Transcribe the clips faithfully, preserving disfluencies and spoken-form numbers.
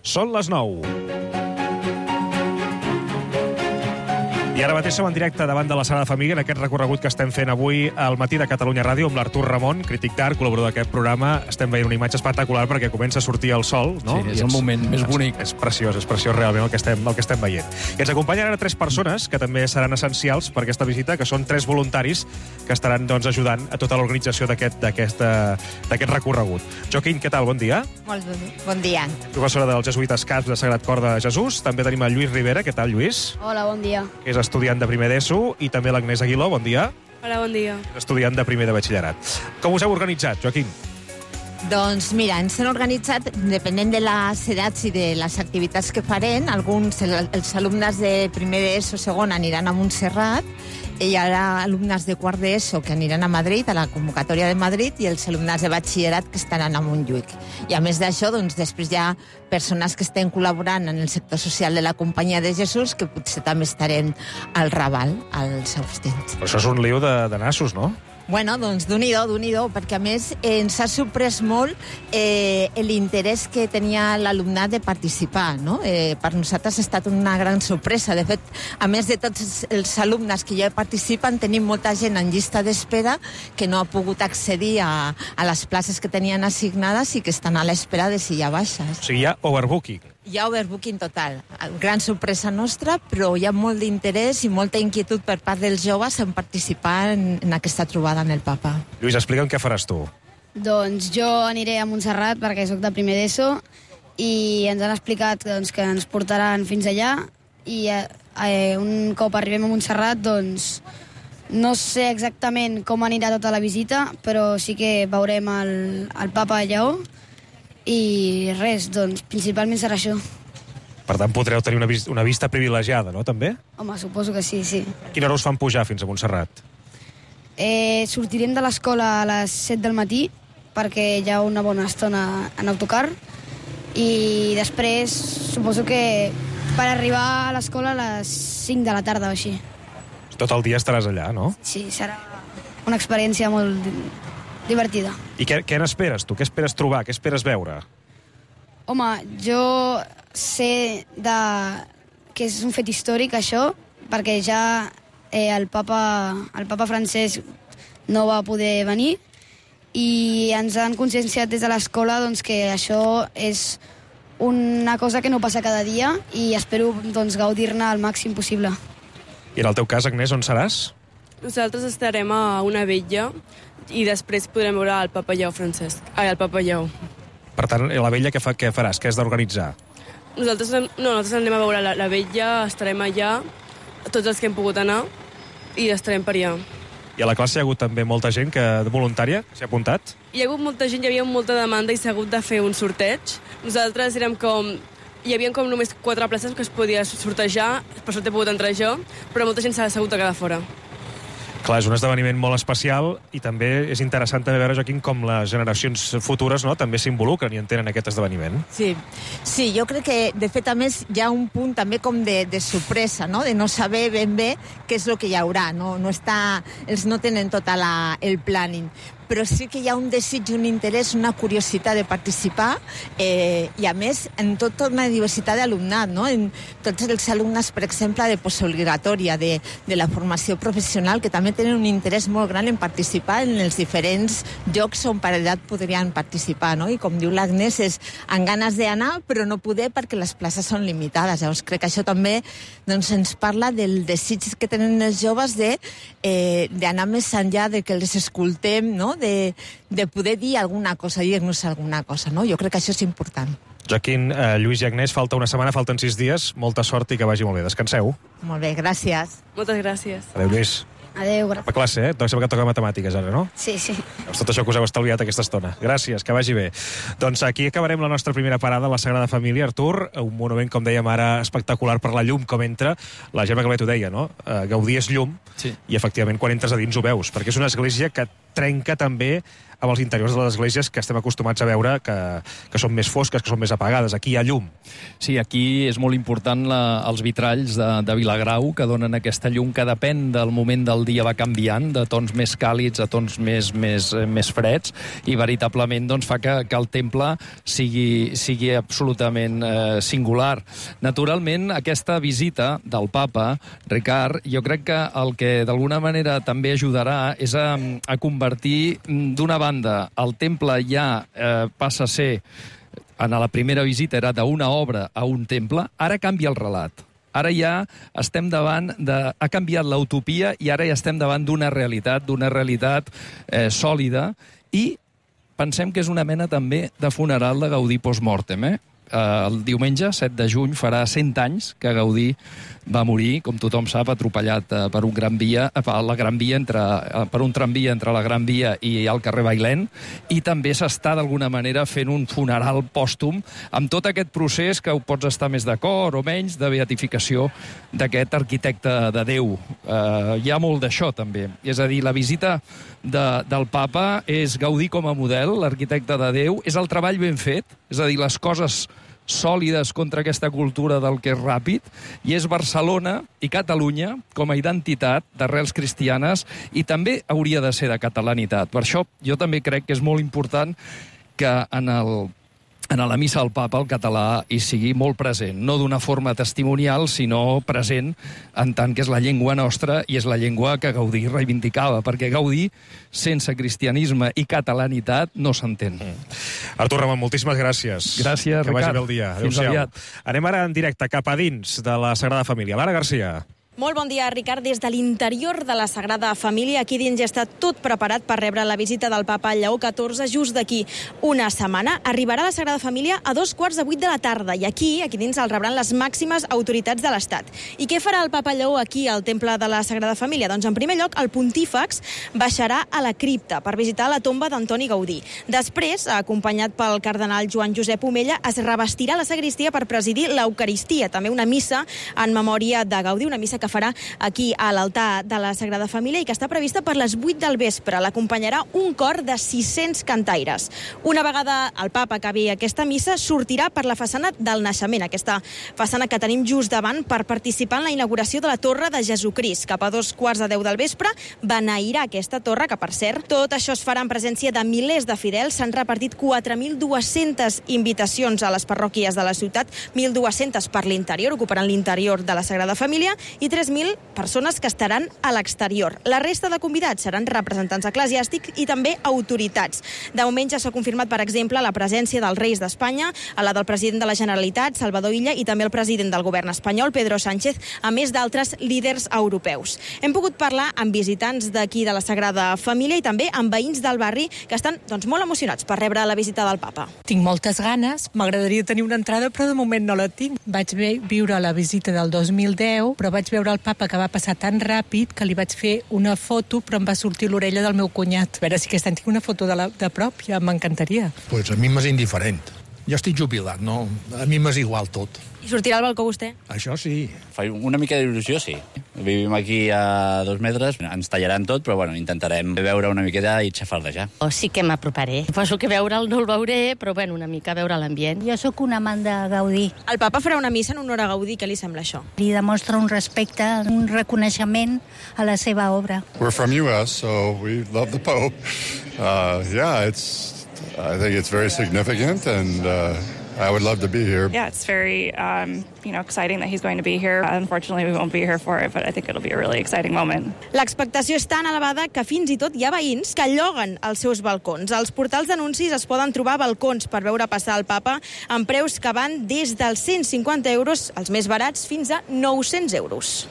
Són les nou. I ara mateix som en directe davant de la Sagrada Família en aquest recorregut que estem fent avui al Matí de Catalunya Ràdio amb l'Artur Ramon, crític d'art, col·laborador d'aquest programa. Estem veient una imatge espectacular perquè comença a sortir el sol, no? Sí, és el moment més bonic. És, és preciós, és preciós realment el que estem, el que estem veient. I ens acompanyen ara tres persones que també seran essencials per aquesta visita, que són tres voluntaris que estaran doncs, ajudant a tota l'organització d'aquest d'aquest recorregut. Joaquín, què tal? Bon dia. Molt bon dia. Professora dels Jesuïtes Casp de Sagrat Cor de Jesús. També tenim el Lluís Rivera. Què tal, Lluís? Hola, bon dia. Que és estudiant de primer d'ESO, i també l'Agnès Aguiló. Bon dia. Hola, bon dia. És estudiant de primer de batxillerat. Com us heu organitzat, Joaquín? Doncs mira, ens hem organitzat, depenent de les edats i de les activitats que farem. Alguns, els alumnes de primer d'ESO, segon, aniran a Montserrat, i hi ha alumnes de quart d'ESO que aniran a Madrid, a la convocatòria de Madrid, i els alumnes de batxillerat que estaran a Montjuïc. I a més d'això, doncs, després hi ha persones que estem col·laborant en el sector social de la Companyia de Jesús que potser també estarem al Raval, als seus temps. Però això és un liu de, de nassos, no? Bueno, doncs d'un-i-do, d'un-i-do, perquè a més eh, ens ha sorprès molt eh, l'interès que tenia l'alumnat de participar, no? Eh, per nosaltres ha estat una gran sorpresa. De fet, a més de tots els alumnes que ja participen, tenim molta gent en llista d'espera que no ha pogut accedir a, a les places que tenien assignades i que estan a l'espera de si hi ha baixes. O sigui, hi ha overbooking. Hi ha overbooking total. Gran sorpresa nostra, però hi ha molt d'interès i molta inquietud per part dels joves en participar en, en aquesta trobada en el Papa. Lluís, explica'm què faràs tu. Doncs jo aniré a Montserrat perquè sóc de primer d'ESO i ens han explicat doncs, que ens portaran fins allà i eh, un cop arribem a Montserrat doncs no sé exactament com anirà tota la visita, però sí que veurem el, el Papa Lleó. I res, doncs, principalment serà això. Per tant, podreu tenir una, vis una vista privilegiada, no, també? Home, suposo que sí, sí. A quina hora us fan pujar fins a Montserrat? Eh, sortirem de l'escola a les set del matí, perquè hi ha una bona estona en autocar, i després suposo que per arribar a l'escola a les cinc de la tarda o així. Tot el dia estaràs allà, no? Sí, serà una experiència molt divertida. I què, què n'esperes, tu? Què esperes trobar? Què esperes veure? Home, jo sé de... que és un fet històric, això, perquè ja eh, el, papa, el papa francès no va poder venir i ens han conscienciat des de l'escola doncs, que això és una cosa que no passa cada dia i espero doncs, gaudir-ne al màxim possible. I en el teu cas, Agnès, on seràs? Nosaltres estarem a una vetlla i després podrem veure el Papa Lleó Francesc. Ai, el Papa Lleó. Per tant, la vetlla què, fa, què faràs? Què has d'organitzar? Nosaltres, no, nosaltres anem a veure la, la vetlla, estarem allà, tots els que hem pogut anar, i estarem per allà. I a la classe hi ha hagut també molta gent que, voluntària que s'hi ha apuntat? Hi ha hagut molta gent, hi havia molta demanda i s'ha hagut de fer un sorteig. Nosaltres érem com... Hi havia com només quatre places que es podia sortejar, per sort he pogut entrar jo, però molta gent s'ha hagut de quedar fora. Clar, és un esdeveniment molt especial i també és interessant també veure, Joaquín, com les generacions futures, no?, també s'involucren i entenen aquest esdeveniment. Sí, sí, jo crec que, de fet, a més, hi ha un punt també com de, de sorpresa, no?, de no saber ben bé què és el que hi haurà, no, no està, ells no tenen tot la, el planning, però sí que hi ha un desig, un interès, una curiositat de participar eh, i, a més, en tota una diversitat d'alumnat, no? En tots els alumnes, per exemple, de postobligatòria, de, de la formació professional, que també tenen un interès molt gran en participar en els diferents llocs on per edat podrien participar, no? I com diu l'Agnès, és amb ganes d'anar, però no poder perquè les places són limitades. Llavors, crec que això també doncs, ens parla del desig que tenen els joves de, eh, d'anar més enllà de que els escoltem, no?, De, de poder dir alguna cosa, dir-nos alguna cosa, no? Jo crec que això és important. Joaquín, eh, Lluís i Agnès, falta una setmana, falten sis dies, molta sort i que vagi molt bé. Descanseu. Molt bé, gràcies. Moltes gràcies. Adéu, Lluís. Adéu, gràcies. A classe, eh? Sembla que toca matemàtiques ara, no? Sí, sí. És tot això que us heu estalviat aquesta estona. Gràcies, que vagi bé. Doncs aquí acabarem la nostra primera parada a la Sagrada Família, Artur. Un monument, com dèiem ara, espectacular per la llum com entra. La Gemma Calvet ho deia, no? Uh, Gaudí és llum, sí. I efectivament quan entres a dins ho veus, perquè és una església que trenca també amb els interiors de les esglésies que estem acostumats a veure que, que són més fosques, que són més apagades. Aquí hi ha llum. Sí, aquí és molt important la, els vitralls de, de Vilagrau, que donen aquesta llum que depèn del moment del dia va canviant, de tons més càlids a tons més, més, més freds, i veritablement doncs, fa que, que el temple sigui, sigui absolutament eh, singular. Naturalment, aquesta visita del papa, Ricard, jo crec que el que d'alguna manera també ajudarà és a, a convertir d'una banda el temple ja eh, passa a ser, en la primera visita era d'una obra a un temple, ara canvia el relat. Ara ja estem davant de... Ha canviat l'utopia i ara ja estem davant d'una realitat, d'una realitat eh, sòlida, i pensem que és una mena també de funeral de Gaudí post-mortem, eh? El diumenge, set de juny, farà cent anys que Gaudí va morir, com tothom sap, atropellat per un gran via, la Gran Via entre, per un tramvia entre la Gran Via i el carrer Bailèn, i també s'està d'alguna manera fent un funeral pòstum amb tot aquest procés que ho pots estar més d'acord o menys de beatificació d'aquest arquitecte de Déu. Eh, hi ha molt d'això també. És a dir, la visita de, del papa és Gaudí com a model, l'arquitecte de Déu, és el treball ben fet, és a dir, les coses sòlides contra aquesta cultura del que és ràpid, i és Barcelona i Catalunya com a identitat d'arrels cristianes, i també hauria de ser de catalanitat. Per això jo també crec que és molt important que en el en la missa del papa el català hi sigui molt present, no d'una forma testimonial, sinó present en tant que és la llengua nostra i és la llengua que Gaudí reivindicava, perquè Gaudí, sense cristianisme i catalanitat, no s'entén. Mm. Artur Ramon, moltíssimes gràcies. Gràcies, que Ricard. vagi bé el dia. Fins aviat. Anem ara en directe cap a dins de la Sagrada Família. Lara Garcia. Molt bon dia, Ricard. Des de l'interior de la Sagrada Família, aquí dins ja està tot preparat per rebre la visita del papa Lleó catorze just d'aquí una setmana. Arribarà a la Sagrada Família a dos quarts de vuit de la tarda i aquí, aquí dins, el rebran les màximes autoritats de l'Estat. I què farà el papa Lleó aquí al temple de la Sagrada Família? Doncs, en primer lloc, el pontífex baixarà a la cripta per visitar la tomba d'Antoni Gaudí. Després, acompanyat pel cardenal Joan Josep Omella, es revestirà la sagristia per presidir l'Eucaristia, també una missa en memòria de Gaudí, una missa que farà aquí a l'altar de la Sagrada Família i que està prevista per les vuit del vespre. L'acompanyarà un cor de sis-cents cantaires. Una vegada el papa acabi aquesta missa, sortirà per la façana del Naixement, aquesta façana que tenim just davant, per participar en la inauguració de la Torre de Jesucrist. Cap a dos quarts de deu del vespre beneirà aquesta torre, que per cert, tot això es farà en presència de milers de fidels. S'han repartit quatre mil dues-centes invitacions a les parròquies de la ciutat, mil dues-centes per l'interior, ocuparan l'interior de la Sagrada Família, i tres mil persones que estaran a l'exterior. La resta de convidats seran representants eclesiàstics i també autoritats. De moment ja s'ha confirmat, per exemple, la presència dels reis d'Espanya, a la del president de la Generalitat, Salvador Illa, i també el president del govern espanyol, Pedro Sánchez, a més d'altres líders europeus. Hem pogut parlar amb visitants d'aquí de la Sagrada Família i també amb veïns del barri que estan doncs, molt emocionats per rebre la visita del papa. Tinc moltes ganes, m'agradaria tenir una entrada, però de moment no la tinc. Vaig viure la visita del dos mil deu, però vaig veure el papa que va passar tan ràpid que li vaig fer una foto, però em va sortir l'orella del meu cunyat. A veure si aquest any tinc una foto de, la, de prop, ja m'encantaria. Pues a mi m'és indiferent. Jo estic jubilat, no? A mi m'és igual tot. I sortirà al balcó vostè? Això sí. Fa una mica d'il·lusió, sí. Vivim aquí a dos metres, ens tallaran tot, però bueno, intentarem veure una miqueta i xafardejar. O sí que m'aproparé. Poso que veure'l no el veuré, però bueno, una mica veure l'ambient. Jo sóc un amant de Gaudí. El papa farà una missa en honor a Gaudí. Què li sembla això? Li demostra un respecte, un reconeixement a la seva obra. We're from U S, so we love the Pope. Uh, yeah, it's... I think it's very significant, and uh, I would love to be here. Yeah, it's very, um, you know, exciting that he's going to be here. Unfortunately, we won't be here for it, but I think it'll be a really exciting moment. L'expectació és tan elevada que fins i tot hi ha veïns que lloguen els seus balcons. Als portals d'anuncis es poden trobar balcons per veure passar el papa amb preus que van des dels cent cinquanta euros, els més barats, fins a nou-cents euros.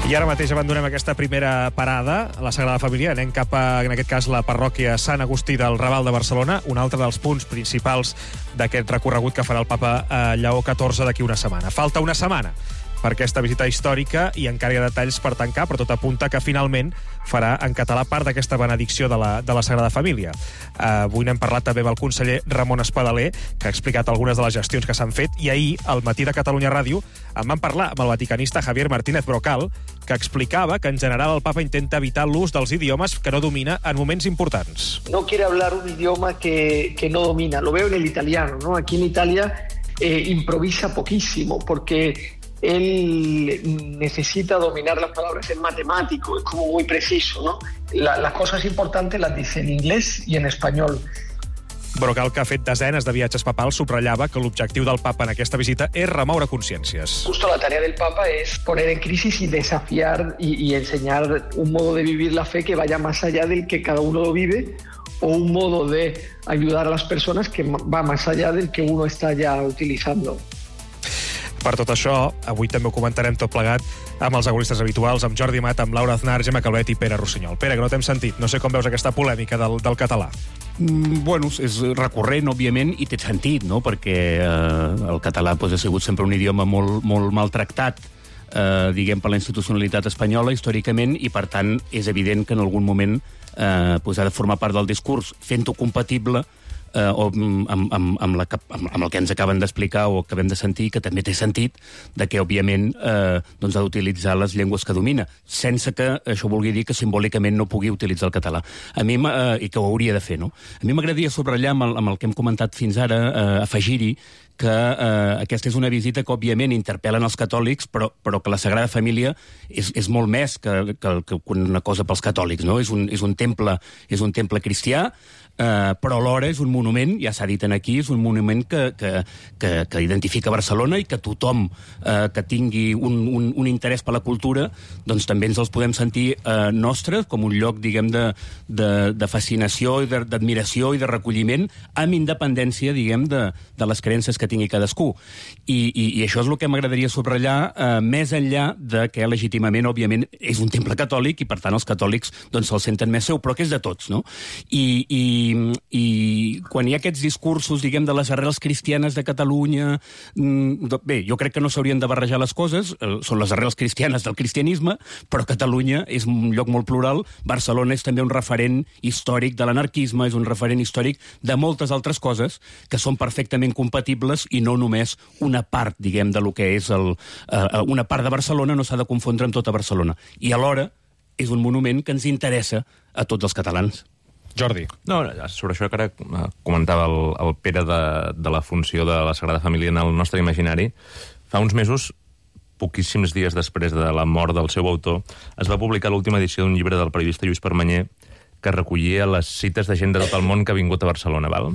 I ara mateix abandonem aquesta primera parada a la Sagrada Família. Anem cap a, en aquest cas, la parròquia Sant Agustí del Raval de Barcelona, un altre dels punts principals d'aquest recorregut que farà el papa Lleó catorze d'aquí una setmana. Falta una setmana per aquesta visita històrica i encara hi ha detalls per tancar, però tot apunta que finalment farà en català part d'aquesta benedicció de la, de la Sagrada Família. Uh, avui n'hem parlat també amb el conseller Ramon Espadaler, que ha explicat algunes de les gestions que s'han fet, i ahir, al Matí de Catalunya Ràdio, en van parlar amb el vaticanista Javier Martínez Brocal, que explicava que en general el papa intenta evitar l'ús dels idiomes que no domina en moments importants. No quiere hablar un idioma que, que no domina. Lo veo en el italiano, ¿no? Aquí en Italia eh, improvisa poquísimo, porque él necesita dominar las palabras, es matemático, es como muy preciso, ¿no? La, las cosas importantes las dice en inglés y en español. Brocal, que ha fet desenes de viatges papals, subratllava que l'objectiu del papa en aquesta visita és remoure consciències. Justo la tarea del papa es poner en crisis y desafiar y, y enseñar un modo de vivir la fe que vaya más allá del que cada uno lo vive, o un modo de ayudar a las personas que va más allá del que uno está ya utilizando. Per tot això, avui també ho comentarem tot plegat amb els agoristes habituals, amb Jordi Amat, amb Laura Aznar, Gemma Calvet i Pere Rossinyol. Pere, que no t'hem sentit. No sé com veus aquesta polèmica del, del català. Mm, bueno, és recurrent, òbviament, i té sentit, no?, perquè eh, el català pues, ha sigut sempre un idioma molt, molt maltractat, eh, diguem, per la institucionalitat espanyola, històricament, i, per tant, és evident que en algun moment eh, pues, ha de formar part del discurs, fent-ho compatible eh, o amb, amb, amb, la, amb, amb el que ens acaben d'explicar o acabem de sentir, que també té sentit, de que, òbviament, eh, doncs ha d'utilitzar les llengües que domina, sense que això vulgui dir que simbòlicament no pugui utilitzar el català. A mi, eh, i que ho hauria de fer, no? A mi m'agradaria subratllar amb el, amb el que hem comentat fins ara, eh, afegir-hi, que eh, aquesta és una visita que, òbviament, interpel·len els catòlics, però, però que la Sagrada Família és, és molt més que, que, que una cosa pels catòlics, no? És un, és un temple, és un temple cristià, Uh, però alhora és un monument, ja s'ha dit aquí, és un monument que, que, que, que identifica Barcelona i que tothom uh, que tingui un, un, un interès per la cultura, doncs també ens els podem sentir uh, nostres, com un lloc, diguem, de, de, de fascinació i d'admiració i de recolliment, amb independència, diguem, de, de les creences que tingui cadascú. I, i, i això és el que m'agradaria subratllar, uh, més enllà de que legítimament, òbviament, és un temple catòlic i, per tant, els catòlics doncs, se'l senten més seu, però que és de tots, no? I, i I, i quan hi ha aquests discursos, diguem, de les arrels cristianes de Catalunya, bé, jo crec que no s'haurien de barrejar les coses, són les arrels cristianes del cristianisme, però Catalunya és un lloc molt plural, Barcelona és també un referent històric de l'anarquisme, és un referent històric de moltes altres coses que són perfectament compatibles i no només una part, diguem, de lo que és el, uh, una part de Barcelona no s'ha de confondre amb tota Barcelona. I alhora és un monument que ens interessa a tots els catalans. Jordi. No, sobre això que ara comentava el, el Pere de, de la funció de la Sagrada Família en el nostre imaginari, fa uns mesos, poquíssims dies després de la mort del seu autor, es va publicar l'última edició d'un llibre del periodista Lluís Permanyer que recollia les cites de gent de tot el món que ha vingut a Barcelona, val?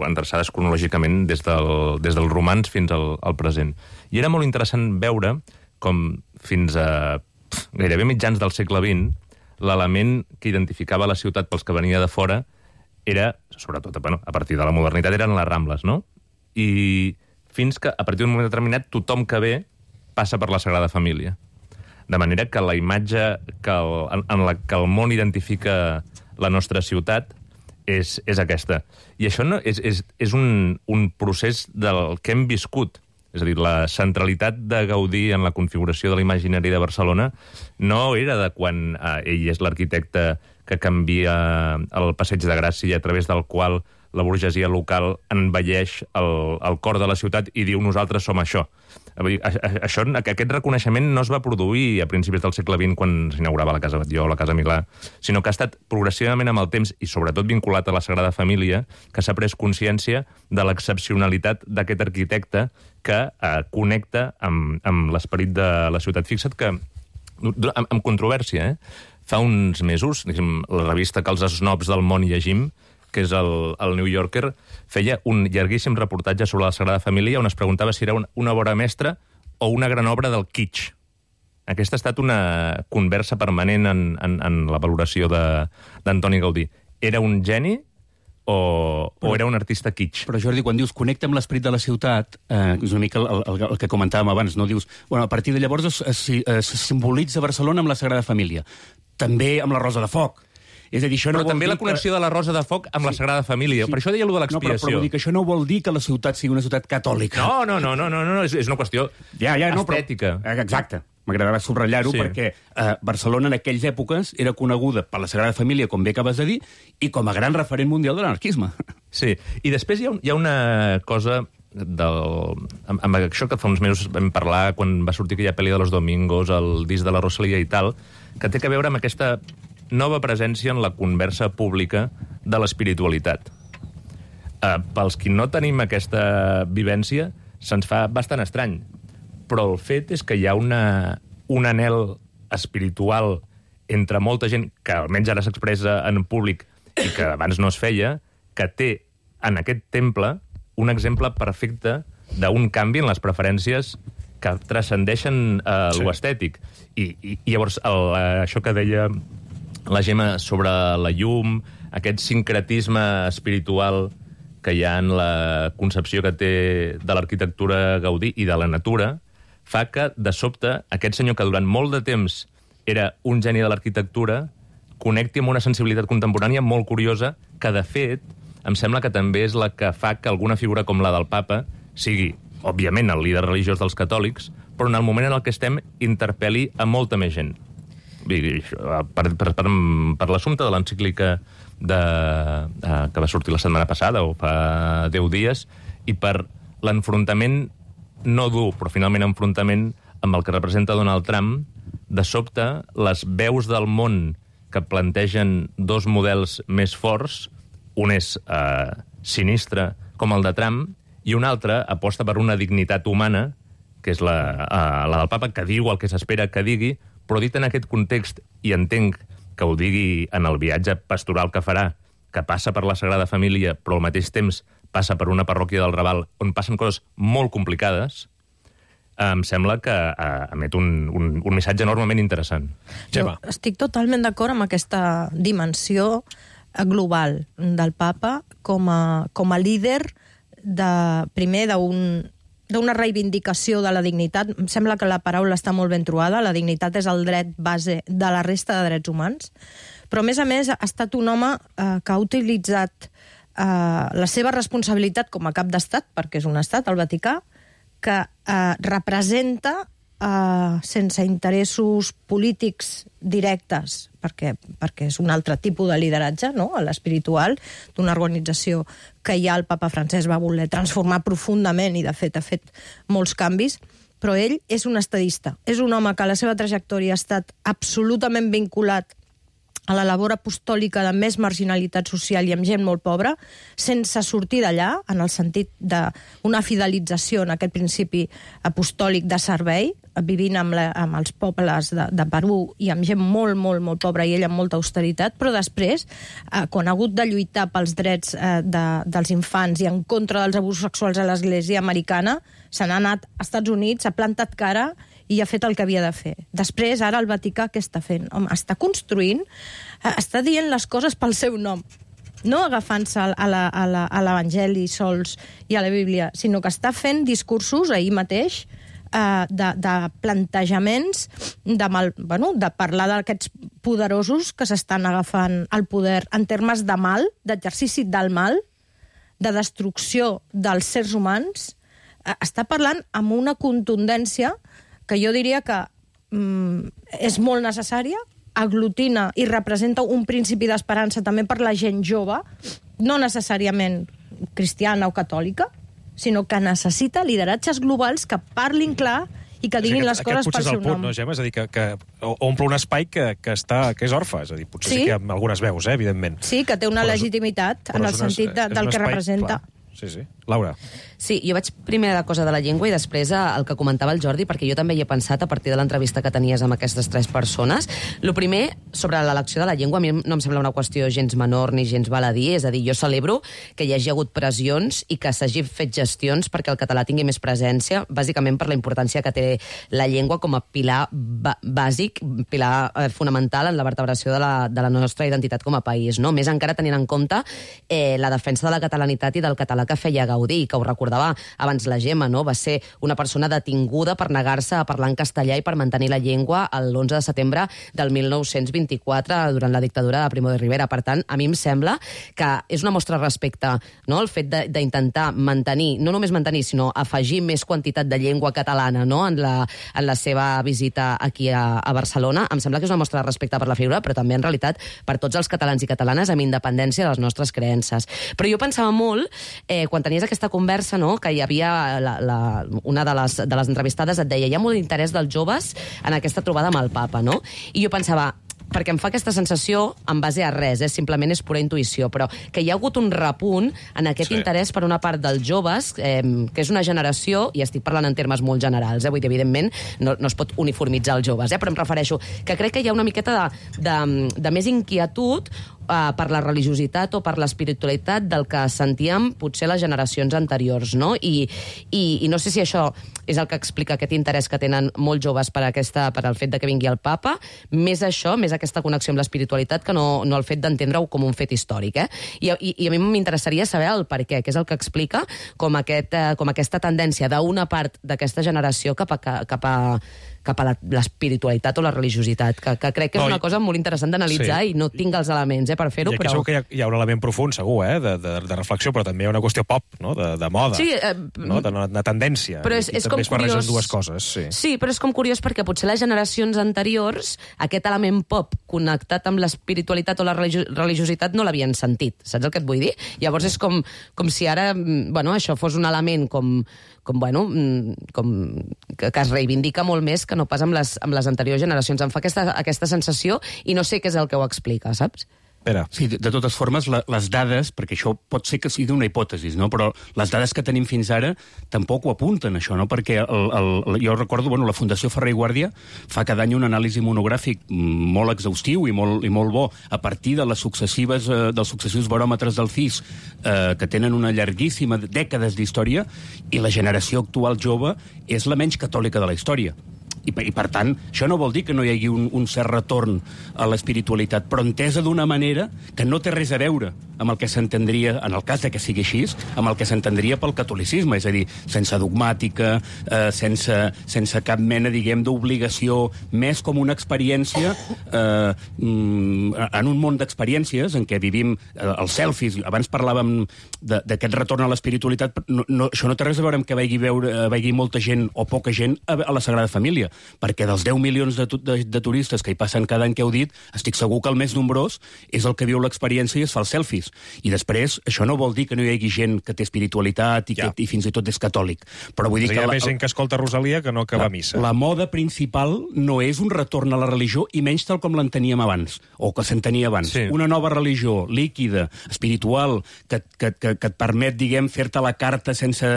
Endreçades cronològicament des, del, des dels romans fins al, al present. I era molt interessant veure com fins a pff, gairebé mitjans del segle vint l'element que identificava la ciutat pels que venia de fora era, sobretot, bueno, a partir de la modernitat, eren les Rambles, no? I fins que, a partir d'un moment determinat, tothom que ve passa per la Sagrada Família. De manera que la imatge que el, en, en la que el món identifica la nostra ciutat és, és aquesta. I això no, és, és, és un, un procés del que hem viscut. És a dir, la centralitat de Gaudí en la configuració de l'imaginari de Barcelona no era de quan eh, ell és l'arquitecte que canvia el Passeig de Gràcia a través del qual la burgesia local envelleix el, el cor de la ciutat i diu nosaltres som això. Això, aquest reconeixement no es va produir a principis del segle vint quan s'inaugurava la Casa Batlló o la Casa Milà, sinó que ha estat progressivament amb el temps i sobretot vinculat a la Sagrada Família que s'ha pres consciència de l'excepcionalitat d'aquest arquitecte que eh, connecta amb, amb l'esperit de la ciutat. Fixa't que, amb, amb controvèrsia, eh, fa uns mesos, diguem, la revista que els snobs del món llegim, que és el, el New Yorker, feia un llarguíssim reportatge sobre la Sagrada Família on es preguntava si era una, una obra mestra o una gran obra del kitsch. Aquesta ha estat una conversa permanent en, en, en la valoració d'Antoni Gaudí. Era un geni o, però, o era un artista kitsch? Però, Jordi, quan dius connecta amb l'esperit de la ciutat, eh, és una mica el, el, el que comentàvem abans, no? Dius, bueno, a partir de llavors es, es, es simbolitza Barcelona amb la Sagrada Família. També amb la Rosa de Foc. És a dir, això no però vol també dir la connexió que... de la Rosa de Foc amb sí. la Sagrada Família. Sí. Per això deia allò de l'expiació. No, però, però vull dir que això no vol dir que la ciutat sigui una ciutat catòlica. No, no, no, no, no, no, no. És, és una qüestió ja, ja, no, estètica. Però... Exacte. M'agradarà subratllar-ho sí. perquè eh, Barcelona en aquelles èpoques era coneguda per la Sagrada Família, com bé acabes de dir, i com a gran referent mundial de l'anarquisme. Sí, i després hi ha, un, hi ha una cosa del... Amb, amb això que fa uns mesos vam parlar quan va sortir aquella pel·li de los Domingos, el disc de la Rosalía i tal, que té a veure amb aquesta nova presència en la conversa pública de l'espiritualitat. Eh, pels qui no tenim aquesta vivència, se'ns fa bastant estrany. Però el fet és que hi ha una, un anhel espiritual entre molta gent, que almenys ara s'expressa en públic i que abans no es feia, que té en aquest temple un exemple perfecte d'un canvi en les preferències que transcendeixen eh, sí. l'estètic. I, i, I llavors, el, això que deia la Gemma sobre la llum, aquest sincretisme espiritual que hi ha en la concepció que té de l'arquitectura Gaudí i de la natura, fa que, de sobte, aquest senyor que durant molt de temps era un geni de l'arquitectura connecti amb una sensibilitat contemporània molt curiosa que, de fet, em sembla que també és la que fa que alguna figura com la del papa sigui, òbviament, el líder religiós dels catòlics, però en el moment en el que estem interpel·li a molta més gent. Per, per, per, per l'assumpte de l'encíclica de, eh, que va sortir la setmana passada, o fa deu dies, i per l'enfrontament no dur, però finalment enfrontament amb el que representa Donald Trump, de sobte, les veus del món que plantegen dos models més forts, un és eh, sinistre, com el de Trump, i un altre aposta per una dignitat humana, que és la, eh, la del papa, que diu el que s'espera que digui, però dit en aquest context, i entenc que ho digui en el viatge pastoral que farà, que passa per la Sagrada Família, però al mateix temps passa per una parròquia del Raval on passen coses molt complicades, em sembla que eh, emet un, un, un missatge enormement interessant. Jo estic totalment d'acord amb aquesta dimensió global del papa com a, com a líder de, primer d'un d'una reivindicació de la dignitat. Em sembla que la paraula està molt ben trobada. La dignitat és el dret base de la resta de drets humans. Però, a més a més, ha estat un home eh, que ha utilitzat eh, la seva responsabilitat com a cap d'estat, perquè és un estat, el Vaticà, que eh, representa, eh, sense interessos polítics directes, perquè, perquè és un altre tipus de lideratge, no?, l'espiritual, d'una organització que ja el papa Francesc va voler transformar profundament i, de fet, ha fet molts canvis, però ell és un estadista. És un home que a la seva trajectòria ha estat absolutament vinculat a la labor apostòlica de més marginalitat social i amb gent molt pobra, sense sortir d'allà, en el sentit d'una fidelització en aquest principi apostòlic de servei, vivint amb, la, amb els pobles de, de Perú i amb gent molt, molt, molt pobra i ell amb molta austeritat, però després, eh, quan ha hagut de lluitar pels drets eh, de, dels infants i en contra dels abusos sexuals a l'Església americana, se n'ha anat als Estats Units, ha plantat cara i ha fet el que havia de fer. Després, ara, el Vaticà què està fent? Home, està construint, està dient les coses pel seu nom, no agafant-se a l'Evangeli sols i a la Bíblia, sinó que està fent discursos ahir mateix eh, de, de plantejaments, de, mal, bueno, de parlar d'aquests poderosos que s'estan agafant el poder en termes de mal, d'exercici del mal, de destrucció dels sers humans. Eh, està parlant amb una contundència que jo diria que mm, és molt necessària, aglutina i representa un principi d'esperança també per la gent jove, no necessàriament cristiana o catòlica, sinó que necessita lideratges globals que parlin clar i que diguin les coses pel seu nom. Aquest potser és el punt, no, Gemma? És a dir, que, que omple un espai que, que, està, que és orfe. És a dir, potser sí, sí que hi ha algunes veus, eh, evidentment. Sí, que té una però legitimitat en el sentit de, del que representa. Clar. Sí, sí. Laura. Sí, jo vaig primer a la cosa de la llengua i després el que comentava el Jordi, perquè jo també hi he pensat a partir de l'entrevista que tenies amb aquestes tres persones. Lo primer, sobre l'elecció de la llengua, a mi no em sembla una qüestió gens menor ni gens baladí, és a dir, jo celebro que hi hagi hagut pressions i que s'hagi fet gestions perquè el català tingui més presència, bàsicament per la importància que té la llengua com a pilar bàsic, pilar eh, fonamental en la vertebració de la, de la nostra identitat com a país, no? Més encara tenint en compte eh, la defensa de la catalanitat i del català que feia Gaudí. Gaudí, que ho recordava abans la Gemma, no? Va ser una persona detinguda per negar-se a parlar en castellà i per mantenir la llengua l'onze de setembre del mil nou-cents vint-i-quatre durant la dictadura de Primo de Rivera. Per tant, a mi em sembla que és una mostra de respecte, no? El fet d'intentar mantenir, no només mantenir, sinó afegir més quantitat de llengua catalana, no? en, la, en la seva visita aquí a, a Barcelona. Em sembla que és una mostra de respecte per la figura, però també, en realitat, per tots els catalans i catalanes amb independència de les nostres creences. Però jo pensava molt, eh, quan tenies aquesta conversa, no?, que hi havia la, la, una de les, de les entrevistades et deia hi ha molt interès dels joves en aquesta trobada amb el papa, no? I jo pensava, perquè em fa aquesta sensació en base a res, eh? Simplement és pura intuïció, però que hi ha hagut un repunt en aquest sí. interès per una part dels joves, eh, que és una generació, i estic parlant en termes molt generals, eh? Vull dir, evidentment, no, no es pot uniformitzar els joves, eh? Però em refereixo que crec que hi ha una miqueta de, de, de més inquietud Uh, per la religiositat o per l'espiritualitat del que sentíem potser les generacions anteriors, no? I, i, i no sé si això és el que explica aquest interès que tenen molts joves per, aquesta, per el fet de que vingui el papa, més això, més aquesta connexió amb l'espiritualitat que no, no el fet d'entendre-ho com un fet històric, eh? I, i, i a mi m'interessaria saber el per què, que és el que explica com, aquest, uh, com aquesta tendència d'una part d'aquesta generació cap a, cap a cap a l'espiritualitat o la religiositat, que, que crec que és no, una cosa molt interessant d'analitzar sí. i no tinc els elements eh, per fer-ho, però... Segur que hi ha, hi ha un element profund, segur, eh, de, de, de reflexió, però també hi ha una qüestió pop, no?, de, de moda, sí, eh, no?, de, de tendència. Però és, I és també com es barregen curiós... dues coses, sí. Sí, però és com curiós perquè potser les generacions anteriors aquest element pop connectat amb l'espiritualitat o la religio religiositat no l'havien sentit, saps el que et vull dir? Llavors és com, com si ara, bueno, això fos un element com, com bueno, com que, que es reivindica molt més que no pas amb les, amb les anteriors generacions. Em fa aquesta, aquesta sensació i no sé què és el que ho explica, saps? Pere. Sí, de, de totes formes, la, les dades, perquè això pot ser que sigui una hipòtesi, no? Però les dades que tenim fins ara tampoc ho apunten, això, no? Perquè el, el, jo recordo, bueno, la Fundació Ferrer i Guàrdia fa cada any un anàlisi monogràfic molt exhaustiu i molt, i molt bo a partir de les successives, eh, dels successius baròmetres del C I S, eh, que tenen una llarguíssima dècades d'història, i la generació actual jove és la menys catòlica de la història. I, I, per tant, això no vol dir que no hi hagi un, un cert retorn a l'espiritualitat, però entesa d'una manera que no té res a veure amb el que s'entendria, en el cas de que sigui així, amb el que s'entendria pel catolicisme, és a dir, sense dogmàtica, eh, sense, sense cap mena, diguem, d'obligació, més com una experiència eh, en un món d'experiències en què vivim eh, els selfies. Abans parlàvem d'aquest retorn a l'espiritualitat, no, no, això no té res a veure amb que vegi, veure, vegi molta gent o poca gent a, a la Sagrada Família, perquè dels deu milions de, de, de turistes que hi passen cada any que heu dit, estic segur que el més nombrós és el que viu l'experiència i es fa els selfies. I després, això no vol dir que no hi hagi gent que té espiritualitat i, ja. que, i fins i tot és catòlic. Però vull dir que... Hi ha la, més gent que escolta Rosalia que no que va a missa. La moda principal no és un retorn a la religió, i menys tal com l'enteníem abans, o que s'entenia abans. Sí. Una nova religió, líquida, espiritual, que, que, que, que et permet, diguem, fer-te la carta sense,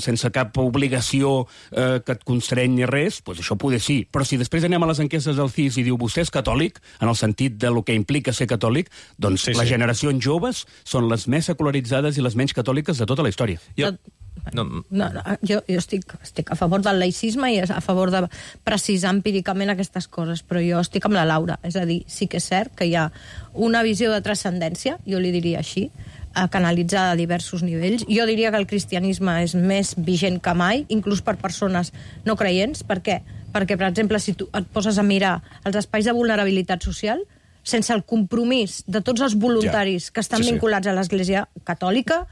sense cap obligació eh, que et constrenyi res, doncs això poder sí. Però si després anem a les enquestes del C I S i diu vostè és catòlic, en el sentit de lo que implica ser catòlic, doncs sí, les sí. generacions joves són les més secularitzades i les menys catòliques de tota la història. Jo, no. No, no, jo, jo estic, estic a favor del laïcisme i a favor de precisar empíricament aquestes coses, però jo estic amb la Laura. És a dir, sí que és cert que hi ha una visió de transcendència, jo li diria així, canalitzada a diversos nivells. Jo diria que el cristianisme és més vigent que mai, inclús per persones no creients. Per què? Perquè, per exemple, si tu et poses a mirar els espais de vulnerabilitat social, sense el compromís de tots els voluntaris ja. que estan sí, vinculats sí. a l'Església Catòlica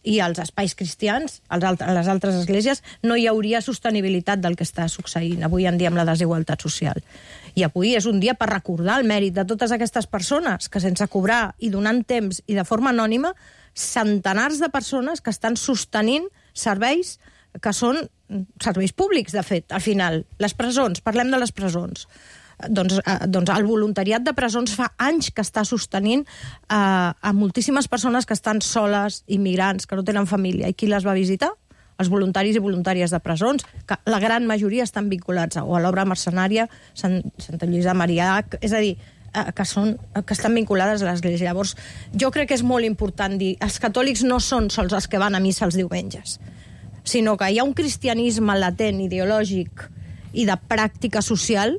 i als espais cristians, a les altres esglésies, no hi hauria sostenibilitat del que està succeint avui en dia amb la desigualtat social. I avui és un dia per recordar el mèrit de totes aquestes persones que, sense cobrar i donant temps i de forma anònima, centenars de persones que estan sostenint serveis que són serveis públics, de fet, al final. Les presons, parlem de les presons. Doncs, eh, doncs el voluntariat de presons fa anys que està sostenint eh, a moltíssimes persones que estan soles, immigrants, que no tenen família. I qui les va visitar? Els voluntaris i voluntàries de presons, que la gran majoria estan vinculats o a l'obra mercenària, Sant, Santa Lluïsa de Marillac, és a dir, eh, que, són, que estan vinculades a l'Església. Llavors, jo crec que és molt important dir, els catòlics no són sols els que van a missa els diumenges, sinó que hi ha un cristianisme latent, ideològic i de pràctica social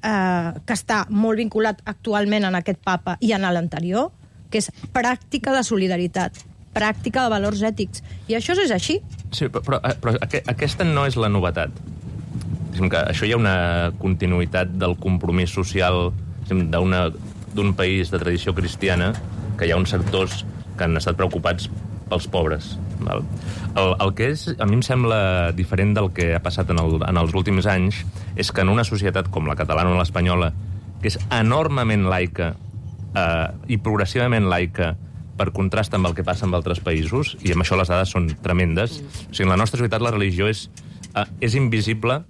Eh, que està molt vinculat actualment en aquest papa i en l'anterior, que és pràctica de solidaritat. pràctica de valors ètics. I això és així. Sí, però, però aquesta no és la novetat. Que això hi ha una continuïtat del compromís social d'un país de tradició cristiana, que hi ha uns sectors que han estat preocupats pels pobres. Val? El, el que és, a mi em sembla diferent del que ha passat en, el, en els últims anys és que en una societat com la catalana o l'espanyola, que és enormement laica eh, i progressivament laica per contrast amb el que passa en altres països, i amb això les dades són tremendes, o sigui, en la nostra societat la religió és, eh, és invisible,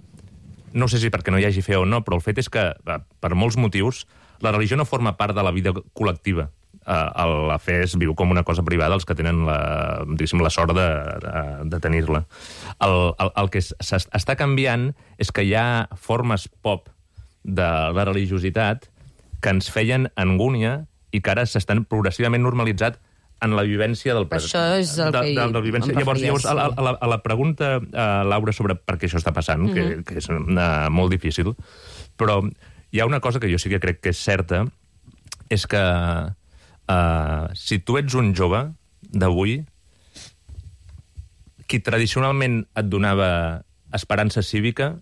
no sé si perquè no hi hagi fe o no, però el fet és que, eh, per molts motius, la religió no forma part de la vida col·lectiva. Uh, la fe es viu com una cosa privada els que tenen la, la sort de, de, de tenir-la. El, el, el que s'està canviant és que hi ha formes pop de la religiositat que ens feien angúnia i que ara s'estan progressivament normalitzat en la vivència del present. Això és el de, que de, de vivència. Llavors, llavors a, la, a, la, a la pregunta, uh, Laura, sobre per què això està passant, mm -hmm. que, que és uh, molt difícil, però hi ha una cosa que jo sí que crec que és certa, és que Uh, si tu ets un jove d'avui, qui tradicionalment et donava esperança cívica,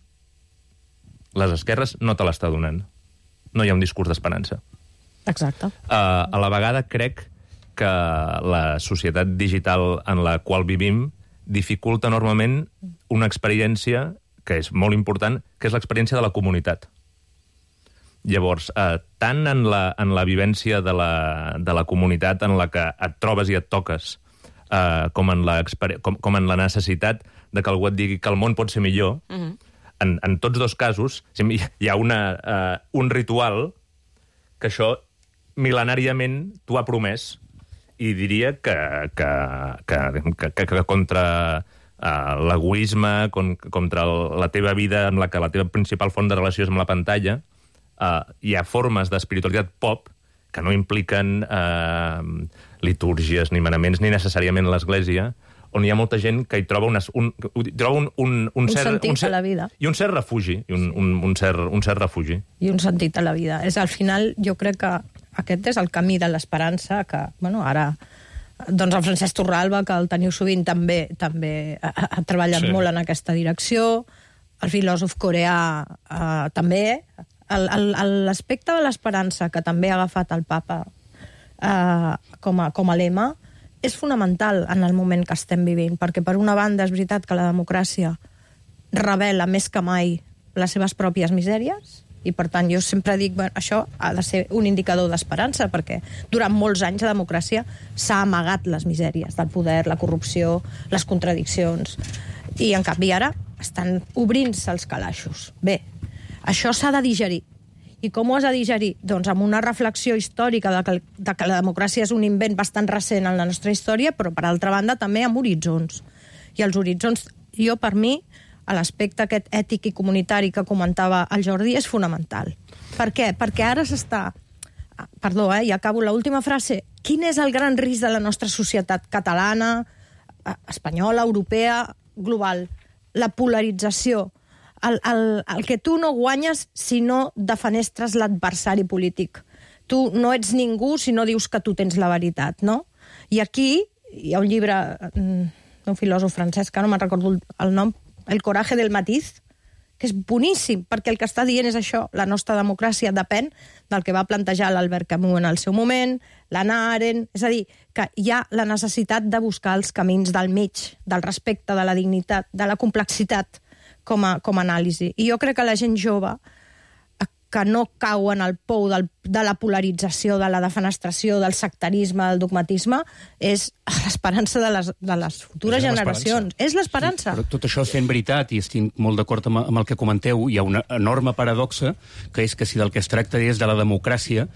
les esquerres no te l'està donant. No hi ha un discurs d'esperança. Exacte. Uh, a la vegada crec que la societat digital en la qual vivim dificulta enormement una experiència que és molt important, que és l'experiència de la comunitat. Llavors, eh, tant en la, en la vivència de la, de la comunitat en la que et trobes i et toques, eh, com, en la, com, com en la necessitat de que algú et digui que el món pot ser millor, uh-huh. en, en tots dos casos hi ha una, eh, un ritual que això mil·lenàriament t'ho ha promès, i diria que, que, que, que, que contra eh, l'egoisme, contra la teva vida en la que la teva principal font de relació és amb la pantalla, Uh, hi ha formes d'espiritualitat pop que no impliquen uh, litúrgies ni manaments ni necessàriament l'Església, on hi ha molta gent que hi troba, unes, un, troba un, un, un, un cert, sentit un cert, a la vida. I un cert refugi. I un, un, un, cert, un cert refugi. I un sentit a la vida. És, al final, jo crec que aquest és el camí de l'esperança, que, bueno, ara doncs el Francesc Torralba, que el teniu sovint, també també ha, ha treballat sí. molt en aquesta direcció. El filòsof coreà eh, també. L'aspecte de l'esperança que també ha agafat el papa eh, com, a, com a lema és fonamental en el moment que estem vivint, perquè per una banda és veritat que la democràcia revela més que mai les seves pròpies misèries, i per tant jo sempre dic, bueno, això ha de ser un indicador d'esperança, perquè durant molts anys la democràcia s'ha amagat les misèries del poder, la corrupció, les contradiccions, i en canvi ara estan obrint-se els calaixos. Bé, això s'ha de digerir. I com ho has de digerir? Doncs amb una reflexió històrica de que, de que la democràcia és un invent bastant recent en la nostra història, però, per altra banda, també amb horitzons. I els horitzons, jo, per mi, a l'aspecte aquest ètic i comunitari que comentava el Jordi, és fonamental. Per què? Perquè ara s'està... Perdó, eh? Ja acabo l'última frase. Quin és el gran risc de la nostra societat catalana, espanyola, europea, global? La polarització. El, el, el que tu no guanyes si no defenestres l'adversari polític. Tu no ets ningú si no dius que tu tens la veritat, no? I aquí hi ha un llibre d'un filòsof francès, que no me'n recordo el nom, El coraje del matiz, que és boníssim, perquè el que està dient és això, la nostra democràcia depèn del que va plantejar l'Albert Camus en el seu moment, l'Hannah Arendt, és a dir, que hi ha la necessitat de buscar els camins del mig, del respecte, de la dignitat, de la complexitat, com a, com a anàlisi. I jo crec que la gent jove que no cau en el pou del, de la polarització, de la defenestració, del sectarisme, del dogmatisme, és l'esperança de les, de les futures és generacions. És l'esperança. Sí, però tot això sent veritat, i estic molt d'acord amb, amb el que comenteu, hi ha una enorme paradoxa, que és que si del que es tracta és de la democràcia,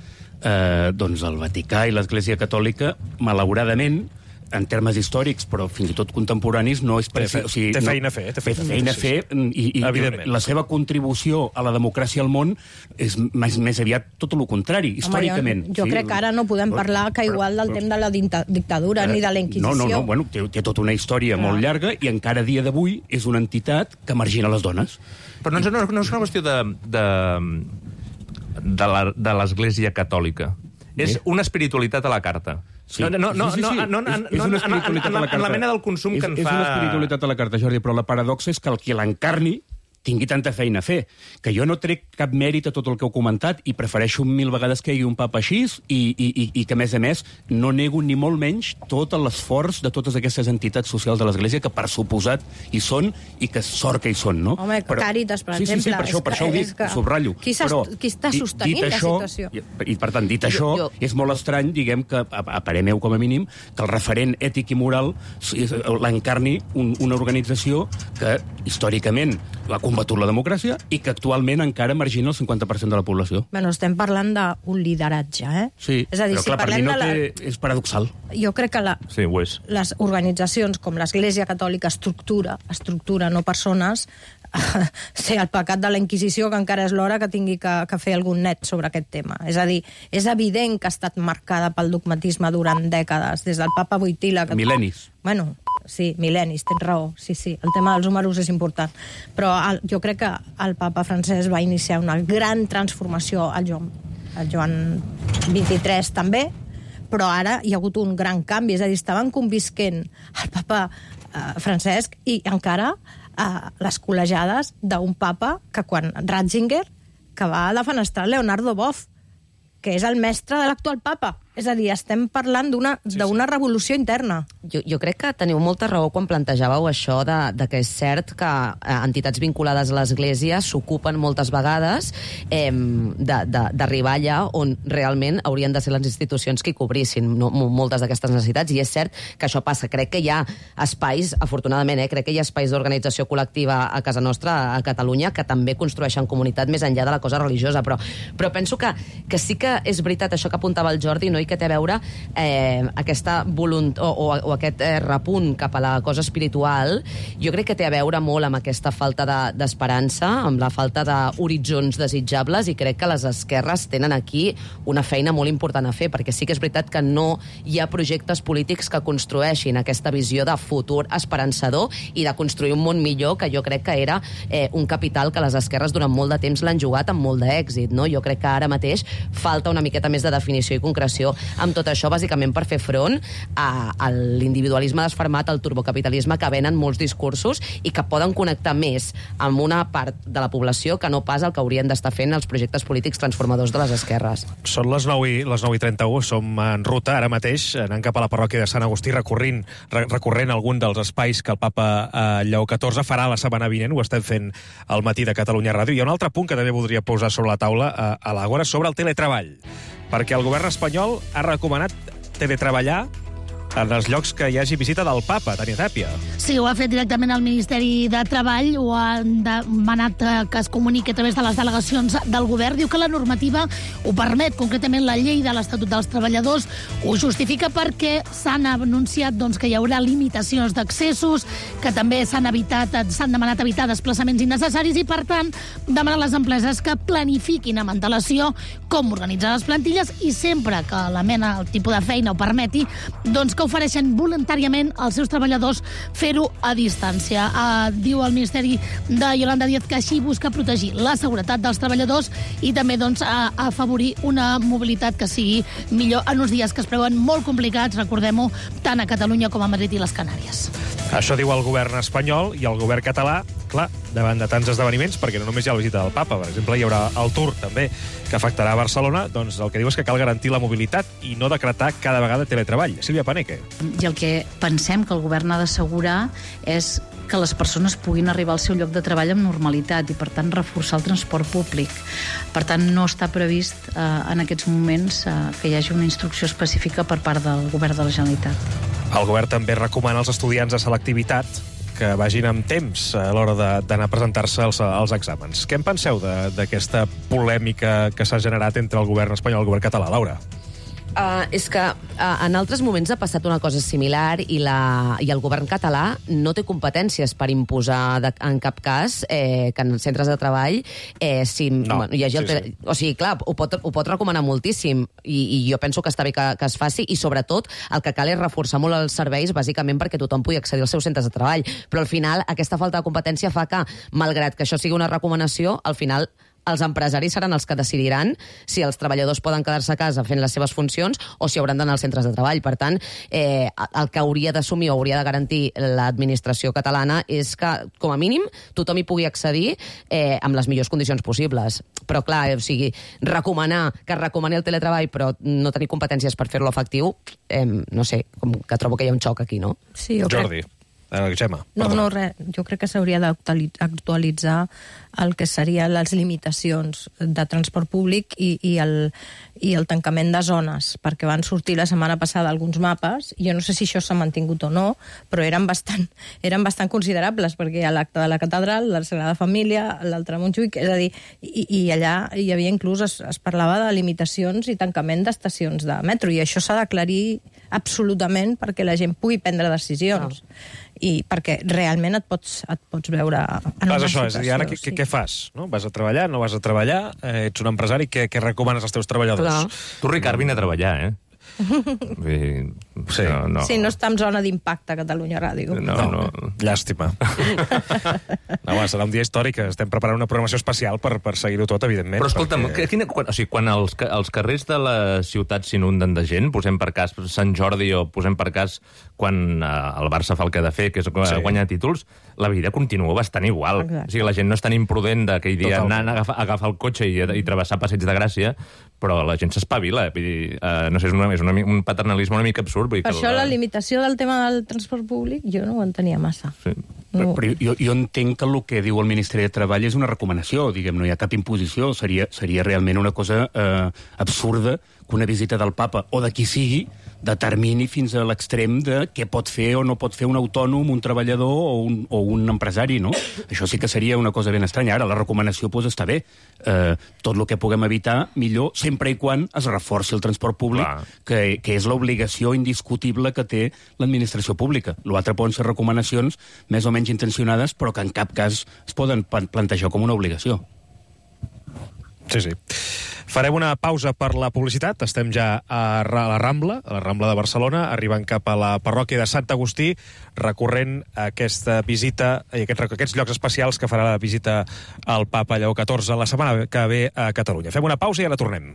eh, doncs el Vaticà i l'Església Catòlica, malauradament, en termes històrics, però fins i tot contemporanis, no és precis... O sigui, té feina a fer. Té feina a fer, i, i la seva contribució a la democràcia al món és més, més aviat tot el contrari, històricament. Home, jo, jo sí? crec que ara no podem parlar que igual del temps de la dictadura eh, ni de la Inquisició. No, no, no, bueno, té, té tota una història ah. molt llarga i encara a dia d'avui és una entitat que margina les dones. Però no és una, no és una qüestió de, de, de l'Església Catòlica. És una espiritualitat a la carta. Sí. No, no, no, sí, sí, sí. no, no, no, és, és no, una en, espiritualitat en, a la en, en la mena del consum és, que en és fa... És una espiritualitat a la carta, Jordi, però la paradoxa és que el qui l'encarni tingui tanta feina a fer, que jo no trec cap mèrit a tot el que heu comentat i prefereixo mil vegades que hi hagi un papa així i, i, i, i que, a més a més, no nego ni molt menys tot l'esforç de totes aquestes entitats socials de l'Església que, per suposat, hi són i que sort que hi són, no? Home, però, Càritas, per sí, exemple. Sí, sí, per això, per això ho dic, ho subratllo. Qui, però, qui està sostenint la això, situació? I, I, per tant, dit això, jo, jo... és molt estrany, diguem, que, a, a parer meu, com a mínim, que el referent ètic i moral l'encarni un, una organització que, històricament, ha combatut la democràcia i que actualment encara margina el cinquanta per cent de la població. Bueno, estem parlant d'un lideratge, eh? Sí, és a dir, però si clar, per mi no la... té... és paradoxal. Jo crec que la... sí, ho és. les organitzacions com l'Església Catòlica estructura, estructura, no persones, sé, el pecat de la Inquisició, que encara és l'hora que tingui que, que fer algun net sobre aquest tema. És a dir, és evident que ha estat marcada pel dogmatisme durant dècades, des del papa Wojtyla... Que... Mil·lennis. Bueno, sí, mil·lennis, tens raó, sí, sí, el tema dels números és important. Però el, jo crec que el papa Francesc va iniciar una gran transformació al Joan, al Joan vint-i-tres també, però ara hi ha hagut un gran canvi, és a dir, estaven convisquent el papa eh, Francesc i encara eh, les col·legiades d'un papa que quan Ratzinger, que va defenestrar Leonardo Boff, que és el mestre de l'actual papa. És a dir, estem parlant d'una sí, sí. revolució interna. Jo, jo crec que teniu molta raó quan plantejàveu això de, de que és cert que eh, entitats vinculades a l'Església s'ocupen moltes vegades eh, d'arribar allà on realment haurien de ser les institucions que hi cobrissin no, moltes d'aquestes necessitats, i és cert que això passa. Crec que hi ha espais, afortunadament, eh, crec que hi ha espais d'organització col·lectiva a casa nostra, a Catalunya, que també construeixen comunitat més enllà de la cosa religiosa, però, però penso que, que sí que és veritat això que apuntava el Jordi, no? I que té a veure eh, aquesta volunt o, o, o aquest eh, repunt cap a la cosa espiritual, jo crec que té a veure molt amb aquesta falta d'esperança, de, amb la falta d'horitzons desitjables, i crec que les esquerres tenen aquí una feina molt important a fer, perquè sí que és veritat que no hi ha projectes polítics que construeixin aquesta visió de futur esperançador i de construir un món millor, que jo crec que era eh, un capital que les esquerres durant molt de temps l'han jugat amb molt d'èxit, no? Jo crec que ara mateix falta una miqueta més de definició i concreció amb tot això, bàsicament per fer front a, a l'individualisme desfermat, al turbocapitalisme que venen molts discursos i que poden connectar més amb una part de la població que no pas el que haurien d'estar fent els projectes polítics transformadors de les esquerres. Són les nou i, les nou i trenta-u, som en ruta ara mateix, anant cap a la parròquia de Sant Agustí, recorrent, recorrent algun dels espais que el papa eh, Lleó catorze farà la setmana vinent, ho estem fent al matí de Catalunya Ràdio. Hi ha un altre punt que també voldria posar sobre la taula eh, a l'Àgora, sobre el teletreball, perquè el govern espanyol ha recomanat teletreballar en els llocs que hi hagi visita del papa, Tania Tàpia. Sí, ho ha fet directament el Ministeri de Treball, ho ha demanat que es comuniqui a través de les delegacions del govern. Diu que la normativa ho permet, concretament la llei de l'Estatut dels Treballadors ho justifica perquè s'han anunciat doncs, que hi haurà limitacions d'accessos, que també s'han evitat, s'han demanat evitar desplaçaments innecessaris i, per tant, demanar a les empreses que planifiquin amb antelació com organitzar les plantilles i sempre que la mena, el tipus de feina ho permeti, doncs que ofereixen voluntàriament als seus treballadors fer-ho a distància. Uh, diu el Ministeri de Yolanda Díaz que així busca protegir la seguretat dels treballadors i també doncs, uh, afavorir una mobilitat que sigui millor en uns dies que es preveuen molt complicats, recordem-ho, tant a Catalunya com a Madrid i les Canàries. Això diu el govern espanyol, i el govern català, clar, davant de tants esdeveniments, perquè no només hi ha la visita del papa, per exemple, hi haurà el Tour també, que afectarà a Barcelona, doncs el que diu és que cal garantir la mobilitat i no decretar cada vegada teletreball. Sílvia Paneque. I el que pensem que el govern ha d'assegurar és que les persones puguin arribar al seu lloc de treball amb normalitat i, per tant, reforçar el transport públic. Per tant, no està previst eh, en aquests moments eh, que hi hagi una instrucció específica per part del govern de la Generalitat. El govern també recomana als estudiants de selectivitat que vagin amb temps a l'hora d'anar a presentar-se als, als exàmens. Què en penseu d'aquesta polèmica que s'ha generat entre el govern espanyol i el govern català, Laura? Uh, és que uh, en altres moments ha passat una cosa similar i, la, i el govern català no té competències per imposar de, en cap cas eh, que en centres de treball eh, si no, hi hagi el sí, sí. O sigui, clar, ho pot, ho pot recomanar moltíssim i, i jo penso que està bé que, que es faci i sobretot el que cal és reforçar molt els serveis bàsicament perquè tothom pugui accedir als seus centres de treball, però al final aquesta falta de competència fa que, malgrat que això sigui una recomanació, al final els empresaris seran els que decidiran si els treballadors poden quedar-se a casa fent les seves funcions o si hauran d'anar als centres de treball. Per tant, eh, el que hauria d'assumir o hauria de garantir l'administració catalana és que, com a mínim, tothom hi pugui accedir eh, amb les millors condicions possibles. Però, clar, o sigui, recomanar que es recomani el teletreball però no tenir competències per fer-lo efectiu, eh, no sé, com que trobo que hi ha un xoc aquí, no? Sí, jo Jordi. crec... Eh, Gemma, no, no, res. Jo crec que s'hauria d'actualitzar el que serien les limitacions de transport públic i, i, el, i el tancament de zones, perquè van sortir la setmana passada alguns mapes, i jo no sé si això s'ha mantingut o no, però eren bastant, eren bastant considerables, perquè a l'acte de la catedral, la Sagrada Família, l'altre a Montjuïc, és a dir, i, i allà hi havia inclús, es, es parlava de limitacions i tancament d'estacions de metro, i això s'ha d'aclarir absolutament perquè la gent pugui prendre decisions. No. I perquè realment et pots, et pots veure en una això, situació. És a dir, ara què, sí. què fas? No? Vas a treballar, no vas a treballar? Eh, ets un empresari, què, què recomanes als teus treballadors? Clar. Tu, Ricard, vine a treballar, eh? Vull... Sí. No, no. Sí, no està en zona d'impacte a Catalunya Ràdio. No, no. Llàstima. No, home, serà un dia històric. Estem preparant una programació especial per, per seguir-ho tot, evidentment. Però escolta'm, perquè... quina, quan, o sigui, quan els, els carrers de la ciutat s'inunden de gent, posem per cas Sant Jordi o posem per cas quan eh, el Barça fa el que ha de fer, que és sí. guanyar títols, la vida continua bastant igual. Exacte. O sigui, la gent no és tan imprudent d'aquell dia anar a agafar, a agafar el cotxe i, i travessar Passeig de Gràcia, però la gent s'espavila. Eh? No sé, és, una, és una, un paternalisme una mica absurd. Vull dir per que això la... la limitació del tema del transport públic jo no ho entenia massa. Sí. No. Però, però jo, jo entenc que el que diu el Ministeri de Treball és una recomanació, diguem, no hi ha cap imposició, seria, seria realment una cosa eh, absurda que una visita del papa o de qui sigui determini fins a l'extrem de què pot fer o no pot fer un autònom, un treballador o un, o un empresari, no? Això sí que seria una cosa ben estranya. Ara, la recomanació pues, està bé. Eh, tot el que puguem evitar, millor, sempre i quan es reforci el transport públic, que, que és l'obligació indiscutible que té l'administració pública. L'altre poden ser recomanacions més o menys intencionades, però que en cap cas es poden plantejar com una obligació. Sí, sí. Farem una pausa per la publicitat. Estem ja a la Rambla, a la Rambla de Barcelona, arribant cap a la parròquia de Sant Agustí, recorrent aquesta visita i aquests, aquests llocs especials que farà la visita al papa Lleó catorze la setmana que ve a Catalunya. Fem una pausa i ara tornem.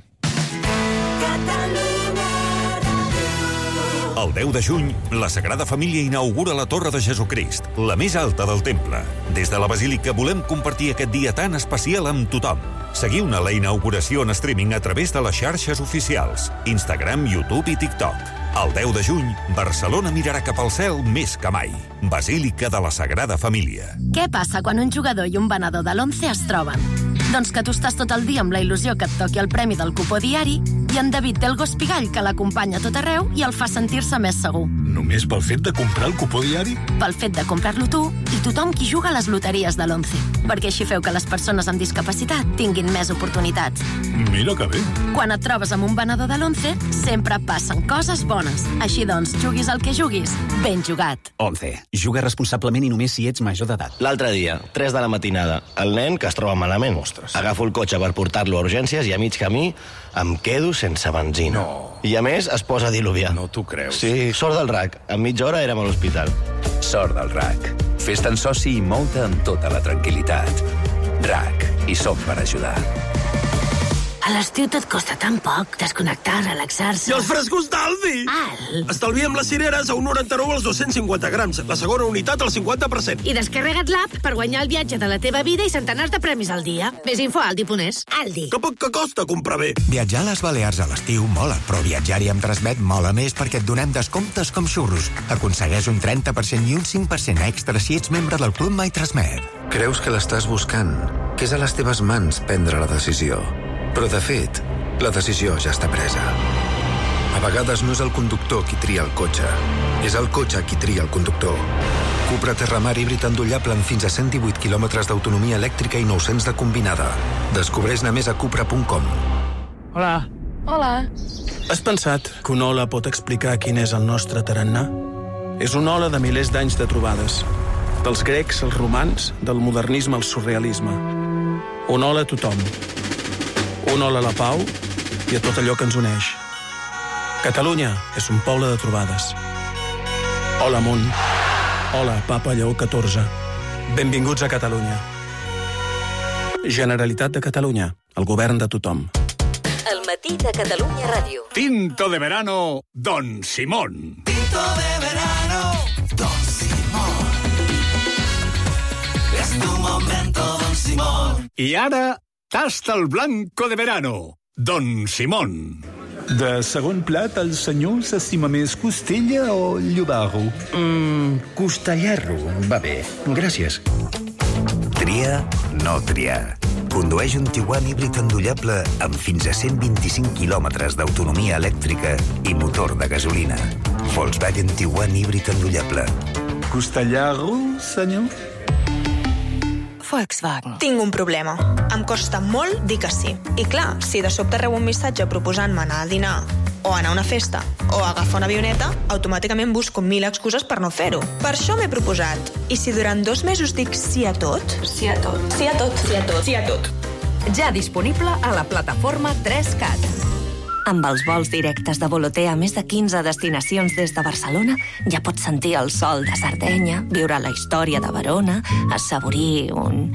El deu de juny, la Sagrada Família inaugura la Torre de Jesucrist, la més alta del temple. Des de la Basílica volem compartir aquest dia tan especial amb tothom. Seguiu-ne la inauguració en streaming a través de les xarxes oficials, Instagram, YouTube i TikTok. El deu de juny, Barcelona mirarà cap al cel més que mai. Basílica de la Sagrada Família. Què passa quan un jugador i un venedor de l'Once es troben? Doncs que tu estàs tot el dia amb la il·lusió que et toqui el premi del cupó diari i en David té el gos pigall que l'acompanya a tot arreu i el fa sentir-se més segur. Només pel fet de comprar el cupó diari? Pel fet de comprar-lo tu i tothom qui juga a les loteries de l'Once. Perquè així feu que les persones amb discapacitat tinguin més oportunitats. Mira que bé. Quan et trobes amb un venedor de l'Once, sempre passen coses bones. Així doncs, juguis el que juguis, ben jugat. Once. Juga responsablement i només si ets major d'edat. L'altre dia, tres de la matinada, el nen que es troba malament. Ostres. Agafo el cotxe per portar-lo a urgències i a mig camí em quedo sense benzina. No. I a més es posa a diluviar. No t'ho creus. Sí, sort del R A C. En mitja hora érem a l'hospital. Sort del R A C. Fes-te'n soci i mou-te amb tota la tranquil·litat. R A C. Hi som per ajudar. A l'estiu tot costa tan poc, desconnectar, relaxar-se... I els frescos d'Aldi! Al! Estalviem les cireres a un noranta-nou als dos-cents cinquanta grams. La segona unitat al cinquanta per cent. I descarrega't l'app per guanyar el viatge de la teva vida i centenars de premis al dia. Més info a aldi punt es. Aldi. Que poc que costa comprar bé. Viatjar a les Balears a l'estiu mola, però viatjar-hi amb Transmet mola més perquè et donem descomptes com xurros. Aconsegueix un trenta per cent i un cinc per cent extra si ets membre del Club My Transmet. Creus que l'estàs buscant, que és a les teves mans prendre la decisió. Però, de fet, la decisió ja està presa. A vegades no és el conductor qui tria el cotxe, és el cotxe qui tria el conductor. Cupra Terramar híbrid endollable amb fins a cent divuit quilòmetres d'autonomia elèctrica i nou-cents de combinada. Descobreix-ne més a cupra punt com. Hola. Hola. Has pensat que una ola pot explicar quin és el nostre tarannà? És una ola de milers d'anys de trobades. Dels grecs als romans, del modernisme al surrealisme. Una ola a tothom. Una ola a la pau i a tot allò que ens uneix. Catalunya és un poble de trobades. Hola, món. Hola, papa Lleó catorze. Benvinguts a Catalunya. Generalitat de Catalunya, el govern de tothom. El matí de Catalunya Ràdio. Tinto de verano, Don Simón. Tinto de verano, Don Simón. Es tu momento, Don Simón. I ara, tasta el blanco de verano, Don Simón. De segon plat, el senyor s'estima més costella o llobarro? Mmm, costellarro, va bé. Gràcies. Tria, no triar. Condueix un Tiguan híbrid endollable amb fins a cent vint-i-cinc quilòmetres d'autonomia elèctrica i motor de gasolina. Volkswagen Tiguan híbrid endollable. Costellarro, senyor? Volkswagen. Tinc un problema. Em costa molt dir que sí. I clar, si de sobte rebo un missatge proposant-me anar a dinar o anar a una festa o agafar una avioneta, automàticament busco mil excuses per no fer-ho. Per això m'he proposat. I si durant dos mesos dic sí a tot? Sí a tot. Sí a tot. Sí a tot. Sí a tot. Ja disponible a la plataforma tres cat. Amb els vols directes de Volotea a més de quinze destinacions des de Barcelona, ja pots sentir el sol de Sardenya, viure la història de Verona, assaborir un...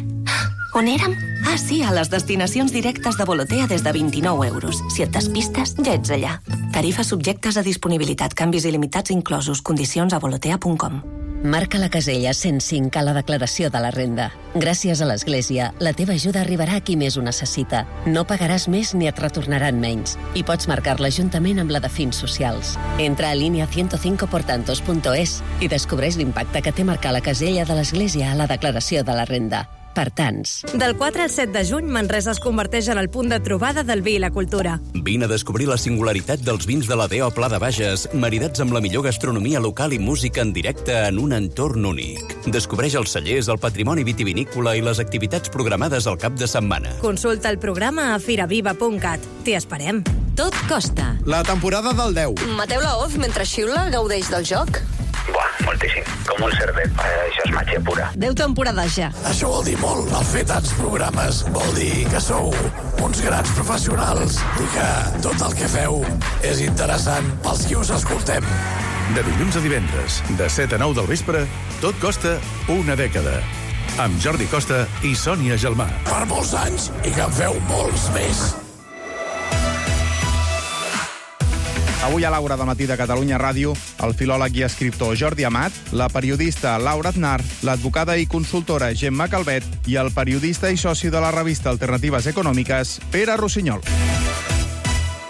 On érem? Ah, sí, a les destinacions directes de Volotea des de vint-i-nou euros. Si et despistes, ja ets allà. Tarifes subjectes a disponibilitat, canvis il·limitats inclosos, condicions a volotea punt com. Marca la casella cent cinc a la declaració de la renda. Gràcies a l'Església, la teva ajuda arribarà a qui més ho necessita. No pagaràs més ni et retornaran menys. I pots marcar-la juntament amb la de fins socials. Entra a línia cent cinc portantos punt es i descobreix l'impacte que té marcar la casella de l'Església a la declaració de la renda. Per tants. Del quatre al set de juny, Manresa es converteix en el punt de trobada del vi i la cultura. Vine a descobrir la singularitat dels vins de la D O Pla de Bages, maridats amb la millor gastronomia local i música en directe en un entorn únic. Descobreix els cellers, el patrimoni vitivinícola i les activitats programades al cap de setmana. Consulta el programa a firaviva punt cat. T'hi esperem. Tot costa. La temporada del deu. Mateu Laoz, mentre xiula, gaudeix del joc? Buah, moltíssim. Com un cerdet. Eh, això és màgia pura. Deu temporades ja. Això vol dir molt. El fer tants programes vol dir que sou uns grans professionals i que tot el que feu és interessant pels qui us escoltem. De dilluns a divendres, de set a nou del vespre, tot costa una dècada. Amb Jordi Costa i Sònia Gelmà. Per molts anys i que en feu molts més. Avui a l'Aura del matí de Catalunya Ràdio, el filòleg i escriptor Jordi Amat, la periodista Laura Aznar, l'advocada i consultora Gemma Calvet i el periodista i soci de la revista Alternatives Econòmiques, Pere Rossinyol.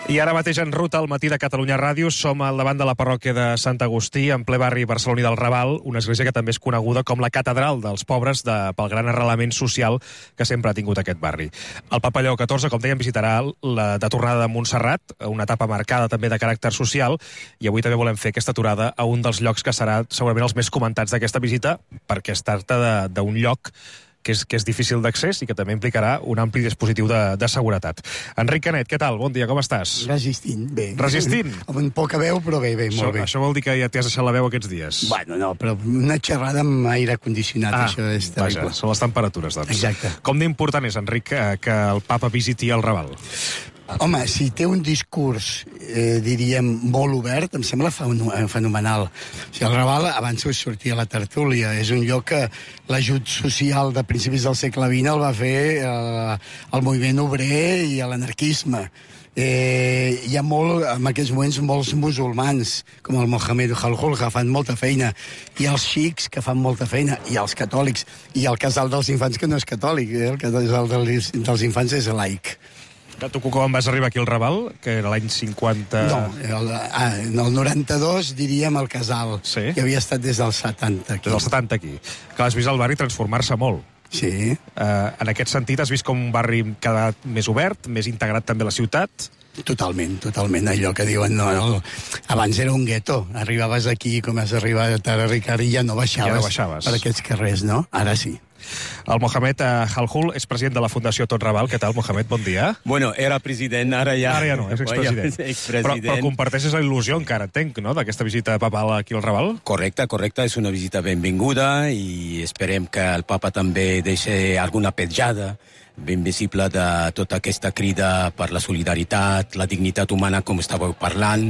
I ara mateix en ruta al matí de Catalunya Ràdio som al davant de la parròquia de Sant Agustí, en ple barri barceloní del Raval, una església que també és coneguda com la catedral dels pobres de, pel gran arrelament social que sempre ha tingut aquest barri. El Papa Lleó catorze, com dèiem, visitarà la de tornada de Montserrat, una etapa marcada també de caràcter social, i avui també volem fer aquesta aturada a un dels llocs que serà segurament els més comentats d'aquesta visita, perquè es tracta d'un lloc que és, que és difícil d'accés i que també implicarà un ampli dispositiu de, de seguretat. Enric Canet, què tal? Bon dia, com estàs? Resistint, bé. Resistint? Amb poca veu, però bé, bé, molt això, bé. Això vol dir que ja t'has deixat la veu aquests dies? Bueno, no, però una xerrada amb aire condicionat, ah, això és terrible. Vaja, són les temperatures, doncs. Exacte. Com d'important és, Enric, que, que el papa visiti el Raval? Home, si té un discurs, eh, diríem, molt obert, em sembla fenomenal. O sigui, el Raval, abans us sortia a la tertúlia, és un lloc que l'ajut social de principis del segle vint el va fer eh, el moviment obrer i l'anarquisme. Eh, hi ha molt, en aquests moments molts musulmans, com el Mohamed Halhul, que fan molta feina, i els xics, que fan molta feina, i els catòlics, i el casal dels infants, que no és catòlic, eh? El casal dels, dels infants és laic. Tu quan vas arribar aquí al Raval, que era l'any cinquanta... No, el, ah, en el noranta-dos diríem el casal, sí? Que havia estat des del setanta aquí. Des del setanta aquí. Que has vist el barri transformar-se molt. Sí. Uh, en aquest sentit, has vist com un barri cada més obert, més integrat també a la ciutat? Totalment, totalment. Allò que diuen, no, no, abans era un gueto. Arribaves aquí, com has arribat a Ricard, i ja no baixaves, ja no baixaves per aquests carrers, no? Ara sí. El Mohamed Halhul és president de la Fundació Tot Raval. Què tal, Mohamed? Bon dia. Bueno, era president, ara ja... Ara ja no, és expresident. expresident. Però, però comparteixes la il·lusió encara, entenc, no?, d'aquesta visita papal aquí al Raval? Correcte, correcte. És una visita benvinguda i esperem que el papa també deixi alguna petjada ben visible de tota aquesta crida per la solidaritat, la dignitat humana, com estàveu parlant,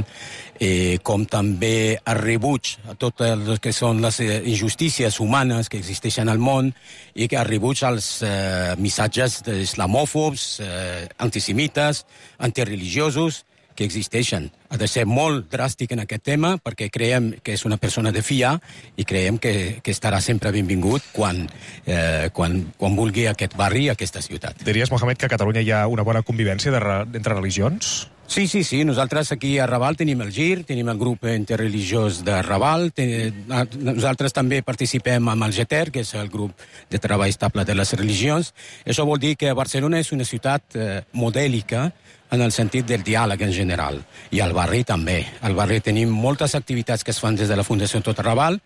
eh, com també el rebuig a tot el que són les injustícies humanes que existeixen al món i que el rebuig als eh, missatges islamòfobs, eh, antisemites, antireligiosos que existeixen. Ha de ser molt dràstic en aquest tema perquè creiem que és una persona de fiar i creiem que, que estarà sempre benvingut quan, eh, quan, quan vulgui aquest barri, aquesta ciutat. Diries, Mohamed, que a Catalunya hi ha una bona convivència de, entre religions? Sí, sí, sí. Nosaltres aquí a Raval tenim el GIR, tenim el grup interreligiós de Raval, ten... nosaltres també participem amb el GETER, que és el grup de treball estable de les religions. Això vol dir que Barcelona és una ciutat eh, modèlica en el sentit del diàleg en general. I al barri també. Al barri tenim moltes activitats que es fan des de la Fundació Tot Raval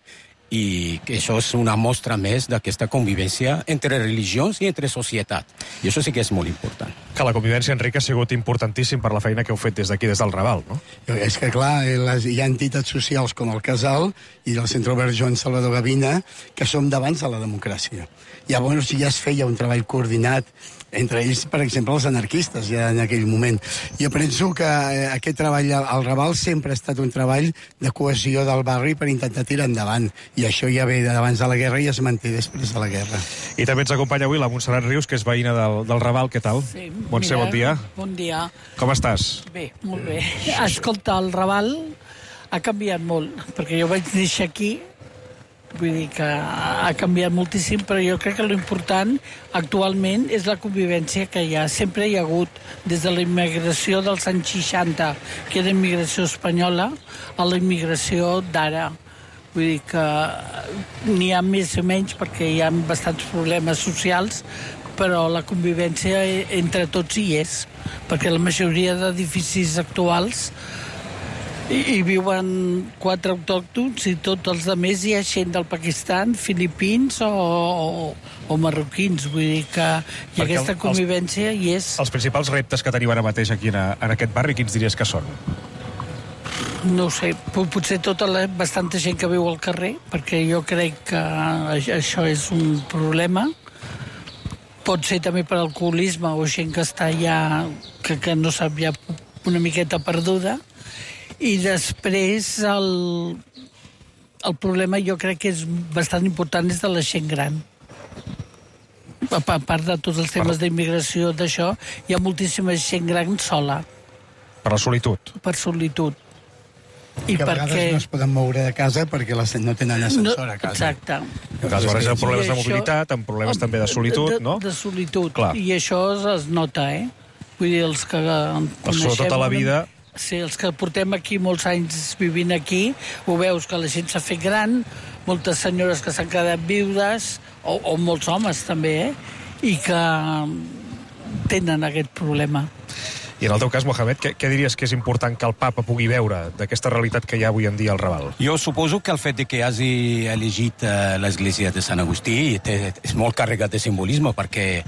i que això és una mostra més d'aquesta convivència entre religions i entre societat. I això sí que és molt important. Que la convivència, Enric, ha sigut importantíssim per la feina que heu fet des d'aquí, des del Raval, no? És que, clar, les, hi ha entitats socials com el Casal i el Centre Obert Joan Salvador Gavina que som d'abans de la democràcia. Llavors ja es feia un treball coordinat entre ells, per exemple, els anarquistes, ja en aquell moment. Jo penso que eh, aquest treball al Raval sempre ha estat un treball de cohesió del barri per intentar tirar endavant. I això ja ve d'abans de la guerra i es manté després de la guerra. I també ens acompanya avui la Montserrat Rius, que és veïna del, del Raval. Què tal? Sí, Montse, bon dia. Bon dia. Com estàs? Bé, molt bé. Escolta, el Raval ha canviat molt, perquè jo vaig néixer aquí. Vull dir que ha canviat moltíssim, però jo crec que l'important actualment és la convivència que hi ha. Sempre hi ha hagut, des de la immigració dels anys seixanta, que era immigració espanyola, a la immigració d'ara. Vull dir que n'hi ha més o menys perquè hi ha bastants problemes socials, però la convivència entre tots hi és, perquè la majoria d'edificis actuals I, hi viuen quatre autòctons i tots els altres hi ha gent del Pakistan, filipins o, o, o marroquins. Vull dir que i aquesta convivència els, hi és. Els principals reptes que tenim ara mateix aquí en, en aquest barri, quins diries que són? No ho sé, potser tota la, bastanta gent que viu al carrer, perquè jo crec que això és un problema. Pot ser també per alcoholisme o gent que està ja, que, que no sap ja una miqueta perduda. I després el, el problema jo crec que és bastant important és de la gent gran. A part de tots els temes d'immigració d'això, hi ha moltíssima gent gran sola. Per la solitud. Per solitud. I que a vegades perquè... no es poden moure de casa perquè les no tenen ascensor a casa. Exacte. Aleshores hi ha problemes de mobilitat, amb problemes també de solitud, no? De, de solitud. Clar. I això es nota, eh? Vull dir, els que coneixem... tota la vida... Sí, els que portem aquí molts anys vivint aquí, ho veus que la gent s'ha fet gran, moltes senyores que s'han quedat viudes, o, o molts homes també, eh? I que tenen aquest problema. I en el teu cas, Mohamed, què, què diries que és important que el papa pugui veure d'aquesta realitat que hi ha avui en dia al Raval? Jo suposo que el fet de que hagi elegit uh, l'església de Sant Agustí té, és molt carregat de simbolisme perquè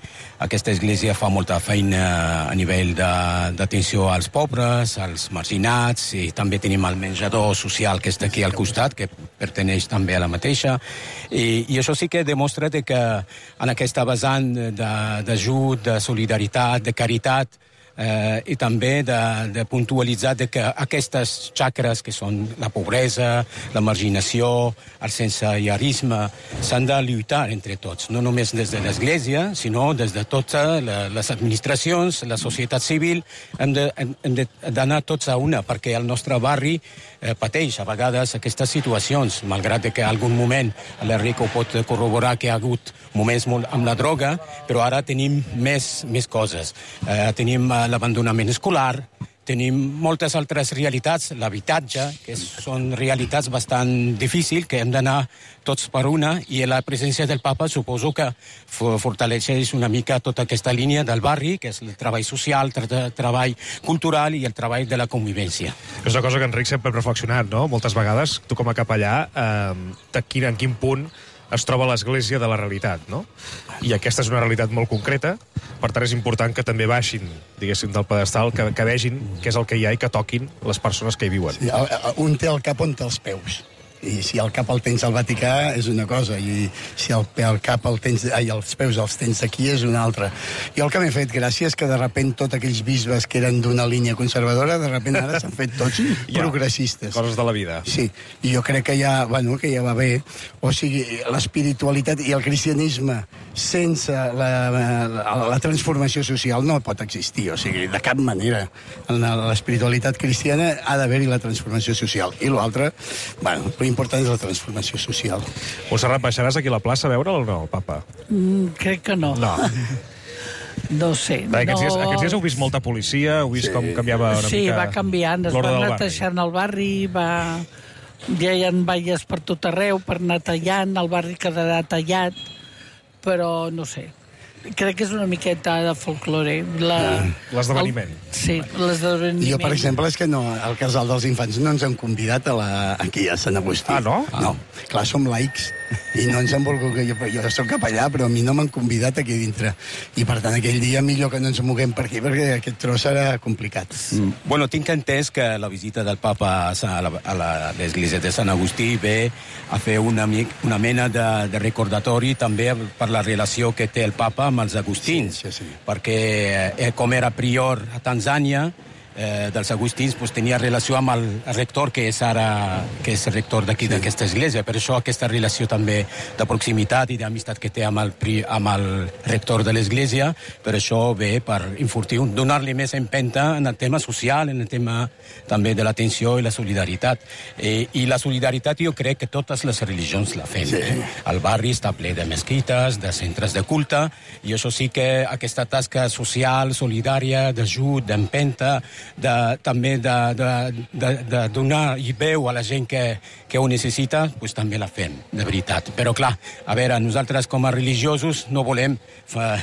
aquesta església fa molta feina a nivell d'atenció als pobres, als marginats, i també tenim el menjador social que està aquí al costat, que perteneix també a la mateixa, i, i això sí que demostra que en aquesta vessant d'ajut, de, de solidaritat, de caritat, Eh, i també de, de puntualitzar de que aquestes xacres que són la pobresa, la marginació, el sensellarisme, s'han de lluitar entre tots, no només des de l'Església, sinó des de totes les administracions, la societat civil, hem d'anar tots a una, perquè el nostre barri eh, pateix a vegades aquestes situacions, malgrat que en algun moment l'Enric ho pot corroborar que hi ha hagut moments molt amb la droga, però ara tenim més, més coses. Eh, tenim l'abandonament escolar, tenim moltes altres realitats, l'habitatge, que són realitats bastant difícils, que hem d'anar tots per una, i la presència del papa suposo que fortaleceix una mica tota aquesta línia del barri, que és el treball social, el treball cultural i el treball de la convivència. És una cosa que Enric sempre ha reflexionat, no? Moltes vegades, tu com a capellà, eh, de quin, en quin punt es troba l'església de la realitat, no? I aquesta és una realitat molt concreta, per tant és important que també baixin, diguéssim, del pedestal, que, que vegin què és el que hi ha i que toquin les persones que hi viuen. Sí, un té el cap on té els peus. I si el cap el tens al Vaticà és una cosa, i si el, el cap el tens, ai, els peus els tens aquí és una altra. Jo el que m'he fet gràcia és que de repent tots aquells bisbes que eren d'una línia conservadora, de repent ara s'han fet tots ja, progressistes. Coses de la vida. Sí, i jo crec que ja, bueno, que ja va bé. O sigui, l'espiritualitat i el cristianisme sense la, la, la transformació social no pot existir, o sigui, de cap manera. En l'espiritualitat cristiana ha d'haver-hi la transformació social. I l'altre, bueno, l'important és la transformació social. Montserrat, baixaràs aquí a la plaça a veure'l o no, el papa? Mm, crec que no. No. No sé. Va, aquests, no... dies, aquests dies heu vist molta policia, heu vist sí. com canviava una sí, mica... Sí, va canviant, es va netejant el barri, va... ja hi ha valles per tot arreu, per anar tallant, el barri quedarà tallat, però no sé. Crec que és una miqueta de folklore. La... L'esdeveniment. El... Sí, l'esdeveniment. Jo, per exemple, és que no, al casal dels infants no ens han convidat a la... aquí a Sant Agustí. Ah, no? No. Clar, som laics i no ens han volgut... Jo, jo soc capellà, però a mi no m'han convidat aquí dintre. I, per tant, aquell dia millor que no ens moguem per aquí, perquè aquest tros serà complicat. Mm. Bueno, tinc entès que la visita del papa a l'església de Sant Agustí ve a fer una, una mena de, de recordatori també per la relació que té el papa amb els agustins, sí, sí, sí. perquè eh, com era prior a Tanzània, eh, dels agustins, pues, tenia relació amb el rector, que és ara que és el rector d'aquí, sí. d'aquesta església. Per això aquesta relació també de proximitat i d'amistat que té amb el, amb el rector de l'església, per això ve per enfortir, donar-li més empenta en el tema social, en el tema també de l'atenció i la solidaritat. Eh, I la solidaritat jo crec que totes les religions la fem. Sí. Eh? El barri està ple de mesquites, de centres de culte, i això sí que aquesta tasca social, solidària, d'ajut, d'empenta, de, també de, de, de, de donar i veu a la gent que, que ho necessita, pues, també la fem, de veritat. Però clar, a veure, nosaltres com a religiosos no volem fa,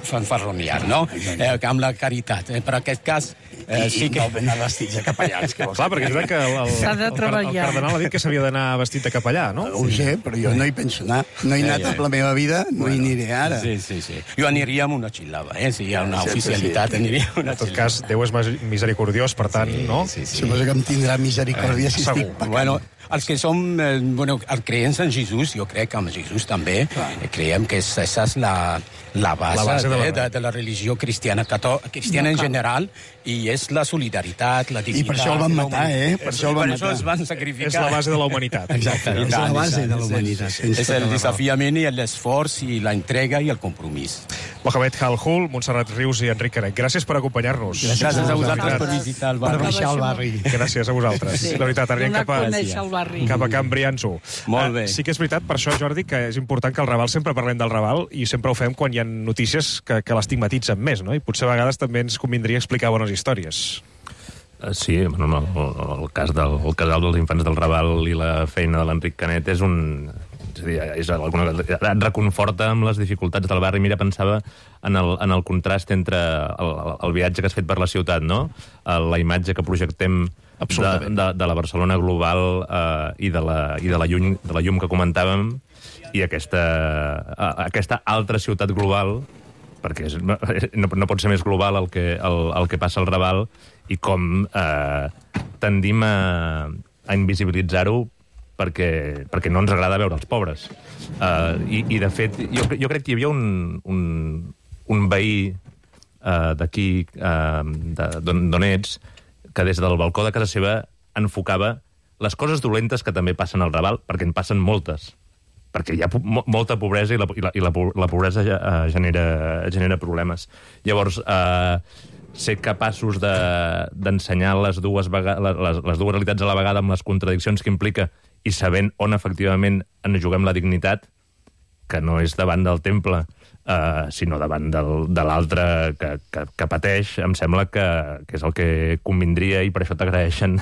fanfarronear, no? Eh, amb la caritat. Eh, per aquest cas, eh, sí que... I no ben vestits de capellans. Que clar, perquè és que el, el, S'ha de el, treballar. el cardenal ha dit que s'havia d'anar vestit de capellà, no? Ho sé, però jo no hi penso anar. No he anat ja, ja. amb la meva vida, no bueno, hi aniré ara. Sí, sí, sí. Jo aniria amb una xilava, eh? Si hi ha una sí, oficialitat, sí. aniria amb una xilava. En tot cas, Déu és misericordiós, per tant, sí, no? Sí, sí. Suposo que em tindrà misericòrdia eh, si segur. estic pecant. Bueno, els que som eh, bueno, els creents en Jesús, jo crec que amb Jesús també, eh, creiem que esa és la, la base, la base de, la... de, de, de la religió cristiana, cató... cristiana no, en general, i és la solidaritat, la dignitat... I per això el van matar, eh? Per això el van per matar. això es van sacrificar. És la base de la humanitat. Exacte, és la base de la humanitat. És el desafiament i l'esforç i la entrega i el compromís. Mohamed Halhul, Montserrat Rius i Enric Canet, gràcies per acompanyar-nos. Gràcies a vosaltres per visitar el barri. Per baixar el barri. Gràcies a vosaltres. Sí. La veritat, anirem cap a, cap a Can Brianço. Molt bé. Uh, sí que és veritat, per això, Jordi, que és important que el Raval sempre parlem del Raval i sempre ho fem quan hi ha notícies que, que l'estigmatitzen més, no? I potser a vegades també ens convindria explicar bones històries. Sí, bueno, el, el cas del el casal dels infants del Raval i la feina de l'Enric Canet és un... És a dir, és alguna, et reconforta amb les dificultats del barri. Mira, pensava en el, en el contrast entre el, el viatge que has fet per la ciutat, no? La imatge que projectem de, de, de la Barcelona global eh, i, de la, i de, la llum, de la llum que comentàvem, i aquesta, aquesta altra ciutat global, perquè és, no, no pot ser més global el que, el, el que passa al Raval, i com eh, tendim a, a invisibilitzar-ho perquè, perquè no ens agrada veure els pobres. Uh, i, I, de fet, jo, jo crec que hi havia un, un, un veí uh, d'aquí, uh, d'on ets, que des del balcó de casa seva enfocava les coses dolentes que també passen al Raval, perquè en passen moltes. Perquè hi ha mo molta pobresa i la, i la, i la, la pobresa uh, genera, genera problemes. Llavors, uh, ser capaços d'ensenyar de, les, dues les, les dues realitats a la vegada amb les contradiccions que implica i sabent on efectivament ens juguem la dignitat, que no és davant del temple, eh, sinó davant del, de l'altre que, que, que pateix, em sembla que, que és el que convindria, i per això t'agraeixen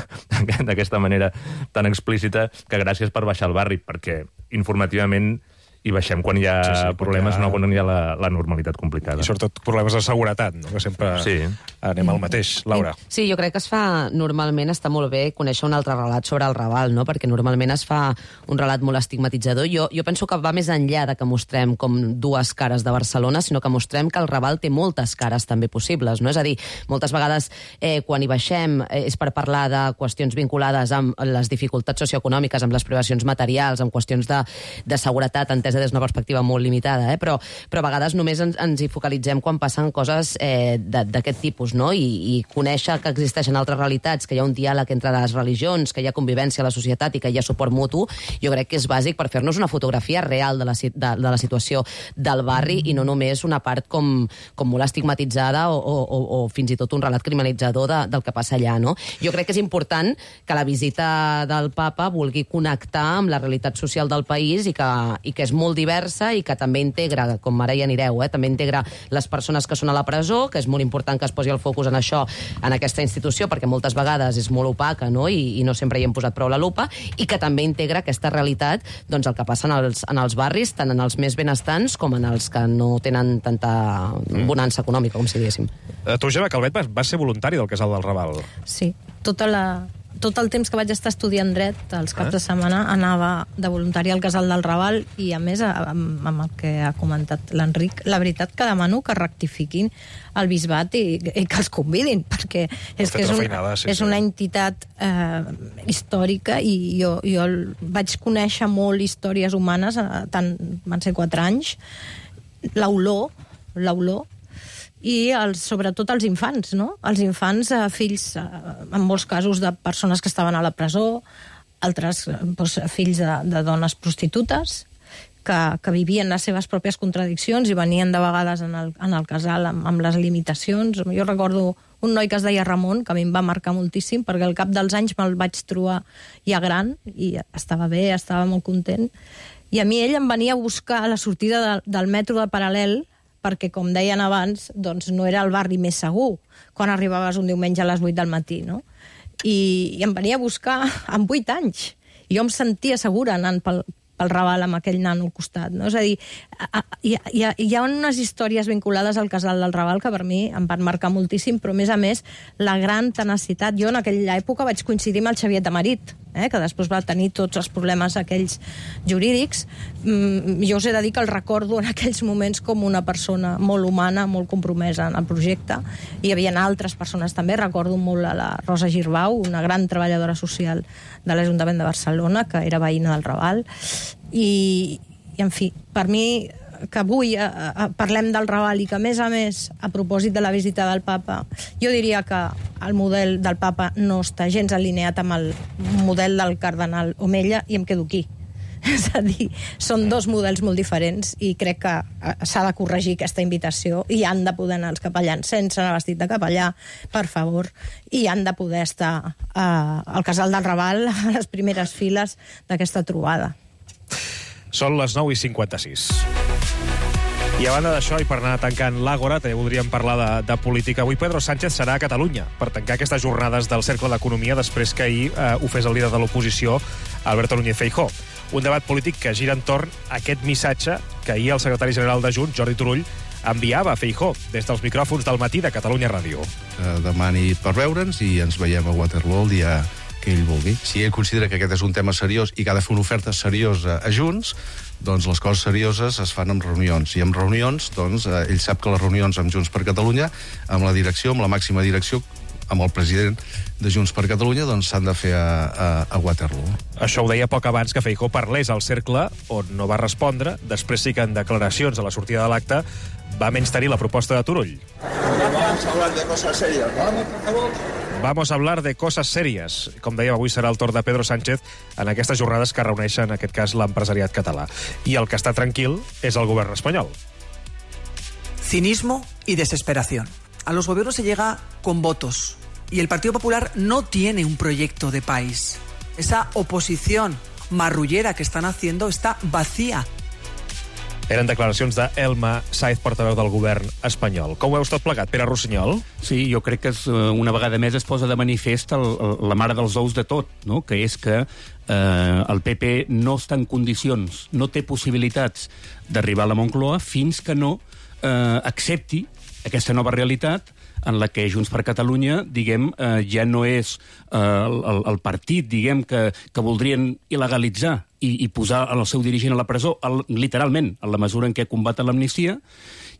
d'aquesta manera tan explícita, que gràcies per baixar al barri, perquè informativament i baixem quan hi ha sí, sí, problemes, ha... no quan hi ha la, la normalitat complicada. I sobretot problemes de seguretat, no? Que sempre... Sí. anem al mateix. Laura. Sí, jo crec que es fa, normalment està molt bé conèixer un altre relat sobre el Raval, no? Perquè normalment es fa un relat molt estigmatitzador. Jo, jo penso que va més enllà de que mostrem com dues cares de Barcelona, sinó que mostrem que el Raval té moltes cares també possibles, no? És a dir, moltes vegades eh, quan hi baixem eh, és per parlar de qüestions vinculades amb les dificultats socioeconòmiques, amb les privacions materials, amb qüestions de, de seguretat, entesa des d'una perspectiva molt limitada, eh? però, però a vegades només ens, ens hi focalitzem quan passen coses eh, d'aquest tipus, no? I, i conèixer que existeixen altres realitats, que hi ha un diàleg entre les religions, que hi ha convivència a la societat i que hi ha suport mutu, jo crec que és bàsic per fer-nos una fotografia real de la, de, de la situació del barri i no només una part com, com molt estigmatitzada o, o, o fins i tot un relat criminalitzador de, del que passa allà, no? Jo crec que és important que la visita del papa vulgui connectar amb la realitat social del país i que, i que és molt diversa i que també integra, com ara hi anireu, eh, també integra les persones que són a la presó, que és molt important que es posi el focus en això, en aquesta institució, perquè moltes vegades és molt opaca, no? I, i no sempre hi hem posat prou la lupa, i que també integra aquesta realitat, doncs el que passa en els, en els barris, tant en els més benestants com en els que no tenen tanta bonança econòmica, com si diguéssim. Uh, tu, Gemma Calvet, vas, vas ser voluntari del Casal del Raval. Sí, tota la... tot el temps que vaig estar estudiant dret, els caps de setmana, anava de voluntari al Casal del Raval i, a més, amb, amb el que ha comentat l'Enric, la veritat que demano que rectifiquin el bisbat i, i que els convidin, perquè és que és, un, feinada, sí, és sí. una entitat eh, històrica i jo, jo vaig conèixer molt històries humanes, eh, tant van ser quatre anys, l'olor, l'olor, i els, sobretot els infants, no? Els infants, eh, fills, eh, en molts casos, de persones que estaven a la presó, altres doncs, fills de, de dones prostitutes, que, que vivien les seves pròpies contradiccions i venien de vegades en el, en el casal amb, amb les limitacions. Jo recordo un noi que es deia Ramon, que a mi em va marcar moltíssim, perquè al cap dels anys me'l vaig trobar ja gran, i estava bé, estava molt content, i a mi ell em venia a buscar a la sortida de, del metro de Paral·lel, perquè, com deien abans, doncs no era el barri més segur quan arribaves un diumenge a les vuit del matí, no? I, i em venia a buscar amb vuit anys. I jo em sentia segura anant pel, pel Raval amb aquell nano al costat, no? És a dir, hi, hi, hi ha unes històries vinculades al Casal del Raval que per mi em van marcar moltíssim, però a més a més la gran tenacitat. Jo en aquella època vaig coincidir amb el Xavier Tamarit, eh, que després va tenir tots els problemes aquells jurídics. Mm, jo us he de dir que el recordo en aquells moments com una persona molt humana, molt compromesa en el projecte. Hi havia altres persones també, recordo molt a la Rosa Girbau, una gran treballadora social de l'Ajuntament de Barcelona, que era veïna del Raval. I, i en fi, per mi, que avui a, a, parlem del Raval i que, a més a més, a propòsit de la visita del papa, jo diria que el model del papa no està gens alineat amb el model del cardenal Omella i em quedo aquí. És a dir, són dos models molt diferents i crec que s'ha de corregir aquesta invitació i han de poder anar els capellans sense anar vestit de capellà, per favor, i han de poder estar eh, al Casal del Raval a les primeres files d'aquesta trobada. Són les nou i cinquanta-sis. I a banda d'això, i per anar tancant l'Àgora, també voldríem parlar de, de política. Avui Pedro Sánchez serà a Catalunya per tancar aquestes jornades del Cercle d'Economia després que ahir eh, ho fes el líder de l'oposició, Alberto Núñez Feijóo. Un debat polític que gira entorn a aquest missatge que ahir el secretari general de Junts, Jordi Turull, enviava a Feijóo des dels micròfons del matí de Catalunya Ràdio. Eh, demani per veure'ns i ens veiem a Waterloo el dia que ell vulgui. Si ell considera que aquest és un tema seriós i que ha de fer una oferta seriosa a Junts, doncs les coses serioses es fan amb reunions. I amb reunions, doncs, eh, ell sap que les reunions amb Junts per Catalunya, amb la direcció, amb la màxima direcció, amb el president de Junts per Catalunya, doncs s'han de fer a, a, a Waterloo. Això ho deia poc abans que Feijóo parlés al Cercle, on no va respondre. Després sí que en declaracions a la sortida de l'acte va menystenir la proposta de Turull. Vamos a hablar de cosas serias, ¿no? Por favor. Vamos a hablar de cosas serias. Com dèiem, avui serà el torn de Pedro Sánchez en aquestes jornades que reuneixen, en aquest cas, l'empresariat català. I el que està tranquil és el govern espanyol. Cinismo y desesperación. A los gobiernos se llega con votos y el Partido Popular no tiene un proyecto de país. Esa oposición marrullera que están haciendo está vacía. Eren declaracions d'Elma Sáez, portaveu del govern espanyol. Com ho veus tot plegat, Pere Rossinyol? Sí, jo crec que és, una vegada més es posa de manifest el, el, la mare dels ous de tot, no? Que és que eh, el P P no està en condicions, no té possibilitats d'arribar a la Moncloa fins que no eh, accepti aquesta nova realitat en la que Junts per Catalunya, diguem, eh, ja no és eh, el, el partit, diguem, que, que voldrien il·legalitzar i, i posar el seu dirigent a la presó, el, literalment, en la mesura en què combaten l'amnistia,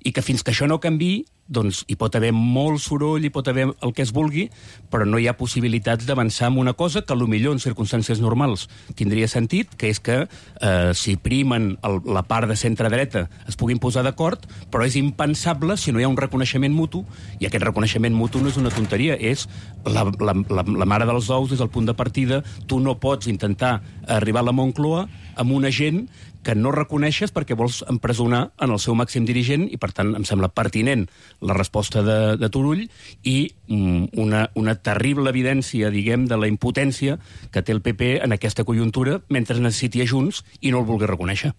i que fins que això no canvi, doncs hi pot haver molt soroll, hi pot haver el que es vulgui, però no hi ha possibilitats d'avançar en una cosa que potser en circumstàncies normals tindria sentit, que és que eh, si primen el, la part de centre-dreta es puguin posar d'acord, però és impensable si no hi ha un reconeixement mutu, i aquest reconeixement mutu no és una tonteria, és la, la, la, la mare dels ous des del punt de partida. Tu no pots intentar arribar a la Moncloa amb una gent que no reconeixes perquè vols empresonar en el seu màxim dirigent, i per tant em sembla pertinent la resposta de, de Turull i mm, una, una terrible evidència, diguem, de la impotència que té el P P en aquesta conjuntura mentre necessiti a Junts i no el vulgui reconèixer.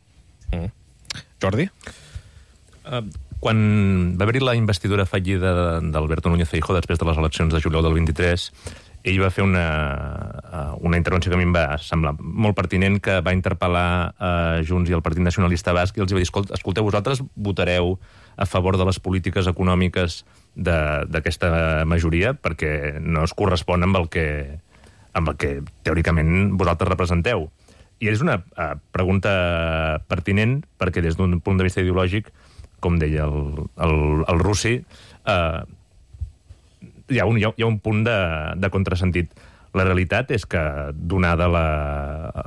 Mm. Jordi? Uh, quan va haver-hi la investidura fallida d'Alberto Núñez Feijóo després de les eleccions de juliol del vint-i-tres, ell va fer una, una intervenció que a mi em va semblar molt pertinent, que va interpel·lar a Junts i al Partit Nacionalista Basc, i els va dir, escolteu, vosaltres votareu a favor de les polítiques econòmiques d'aquesta majoria perquè no es correspon amb el que, amb el que teòricament vosaltres representeu. I és una uh, pregunta pertinent perquè des d'un punt de vista ideològic, com deia el, el, el Russi, uh, hi ha un, hi ha, hi ha un punt de, de contrasentit. La realitat és que, donada la,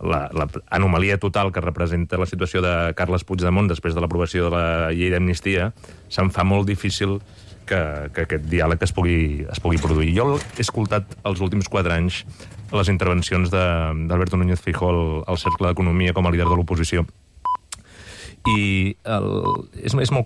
la, la anomalia total que representa la situació de Carles Puigdemont després de l'aprovació de la llei d'amnistia, se'm fa molt difícil que, que aquest diàleg es pugui, es pugui produir. Jo he escoltat els últims quatre anys les intervencions d'Alberto Núñez Feijóo al, al Cercle d'Economia com a líder de l'oposició, i el, és, és molt curiós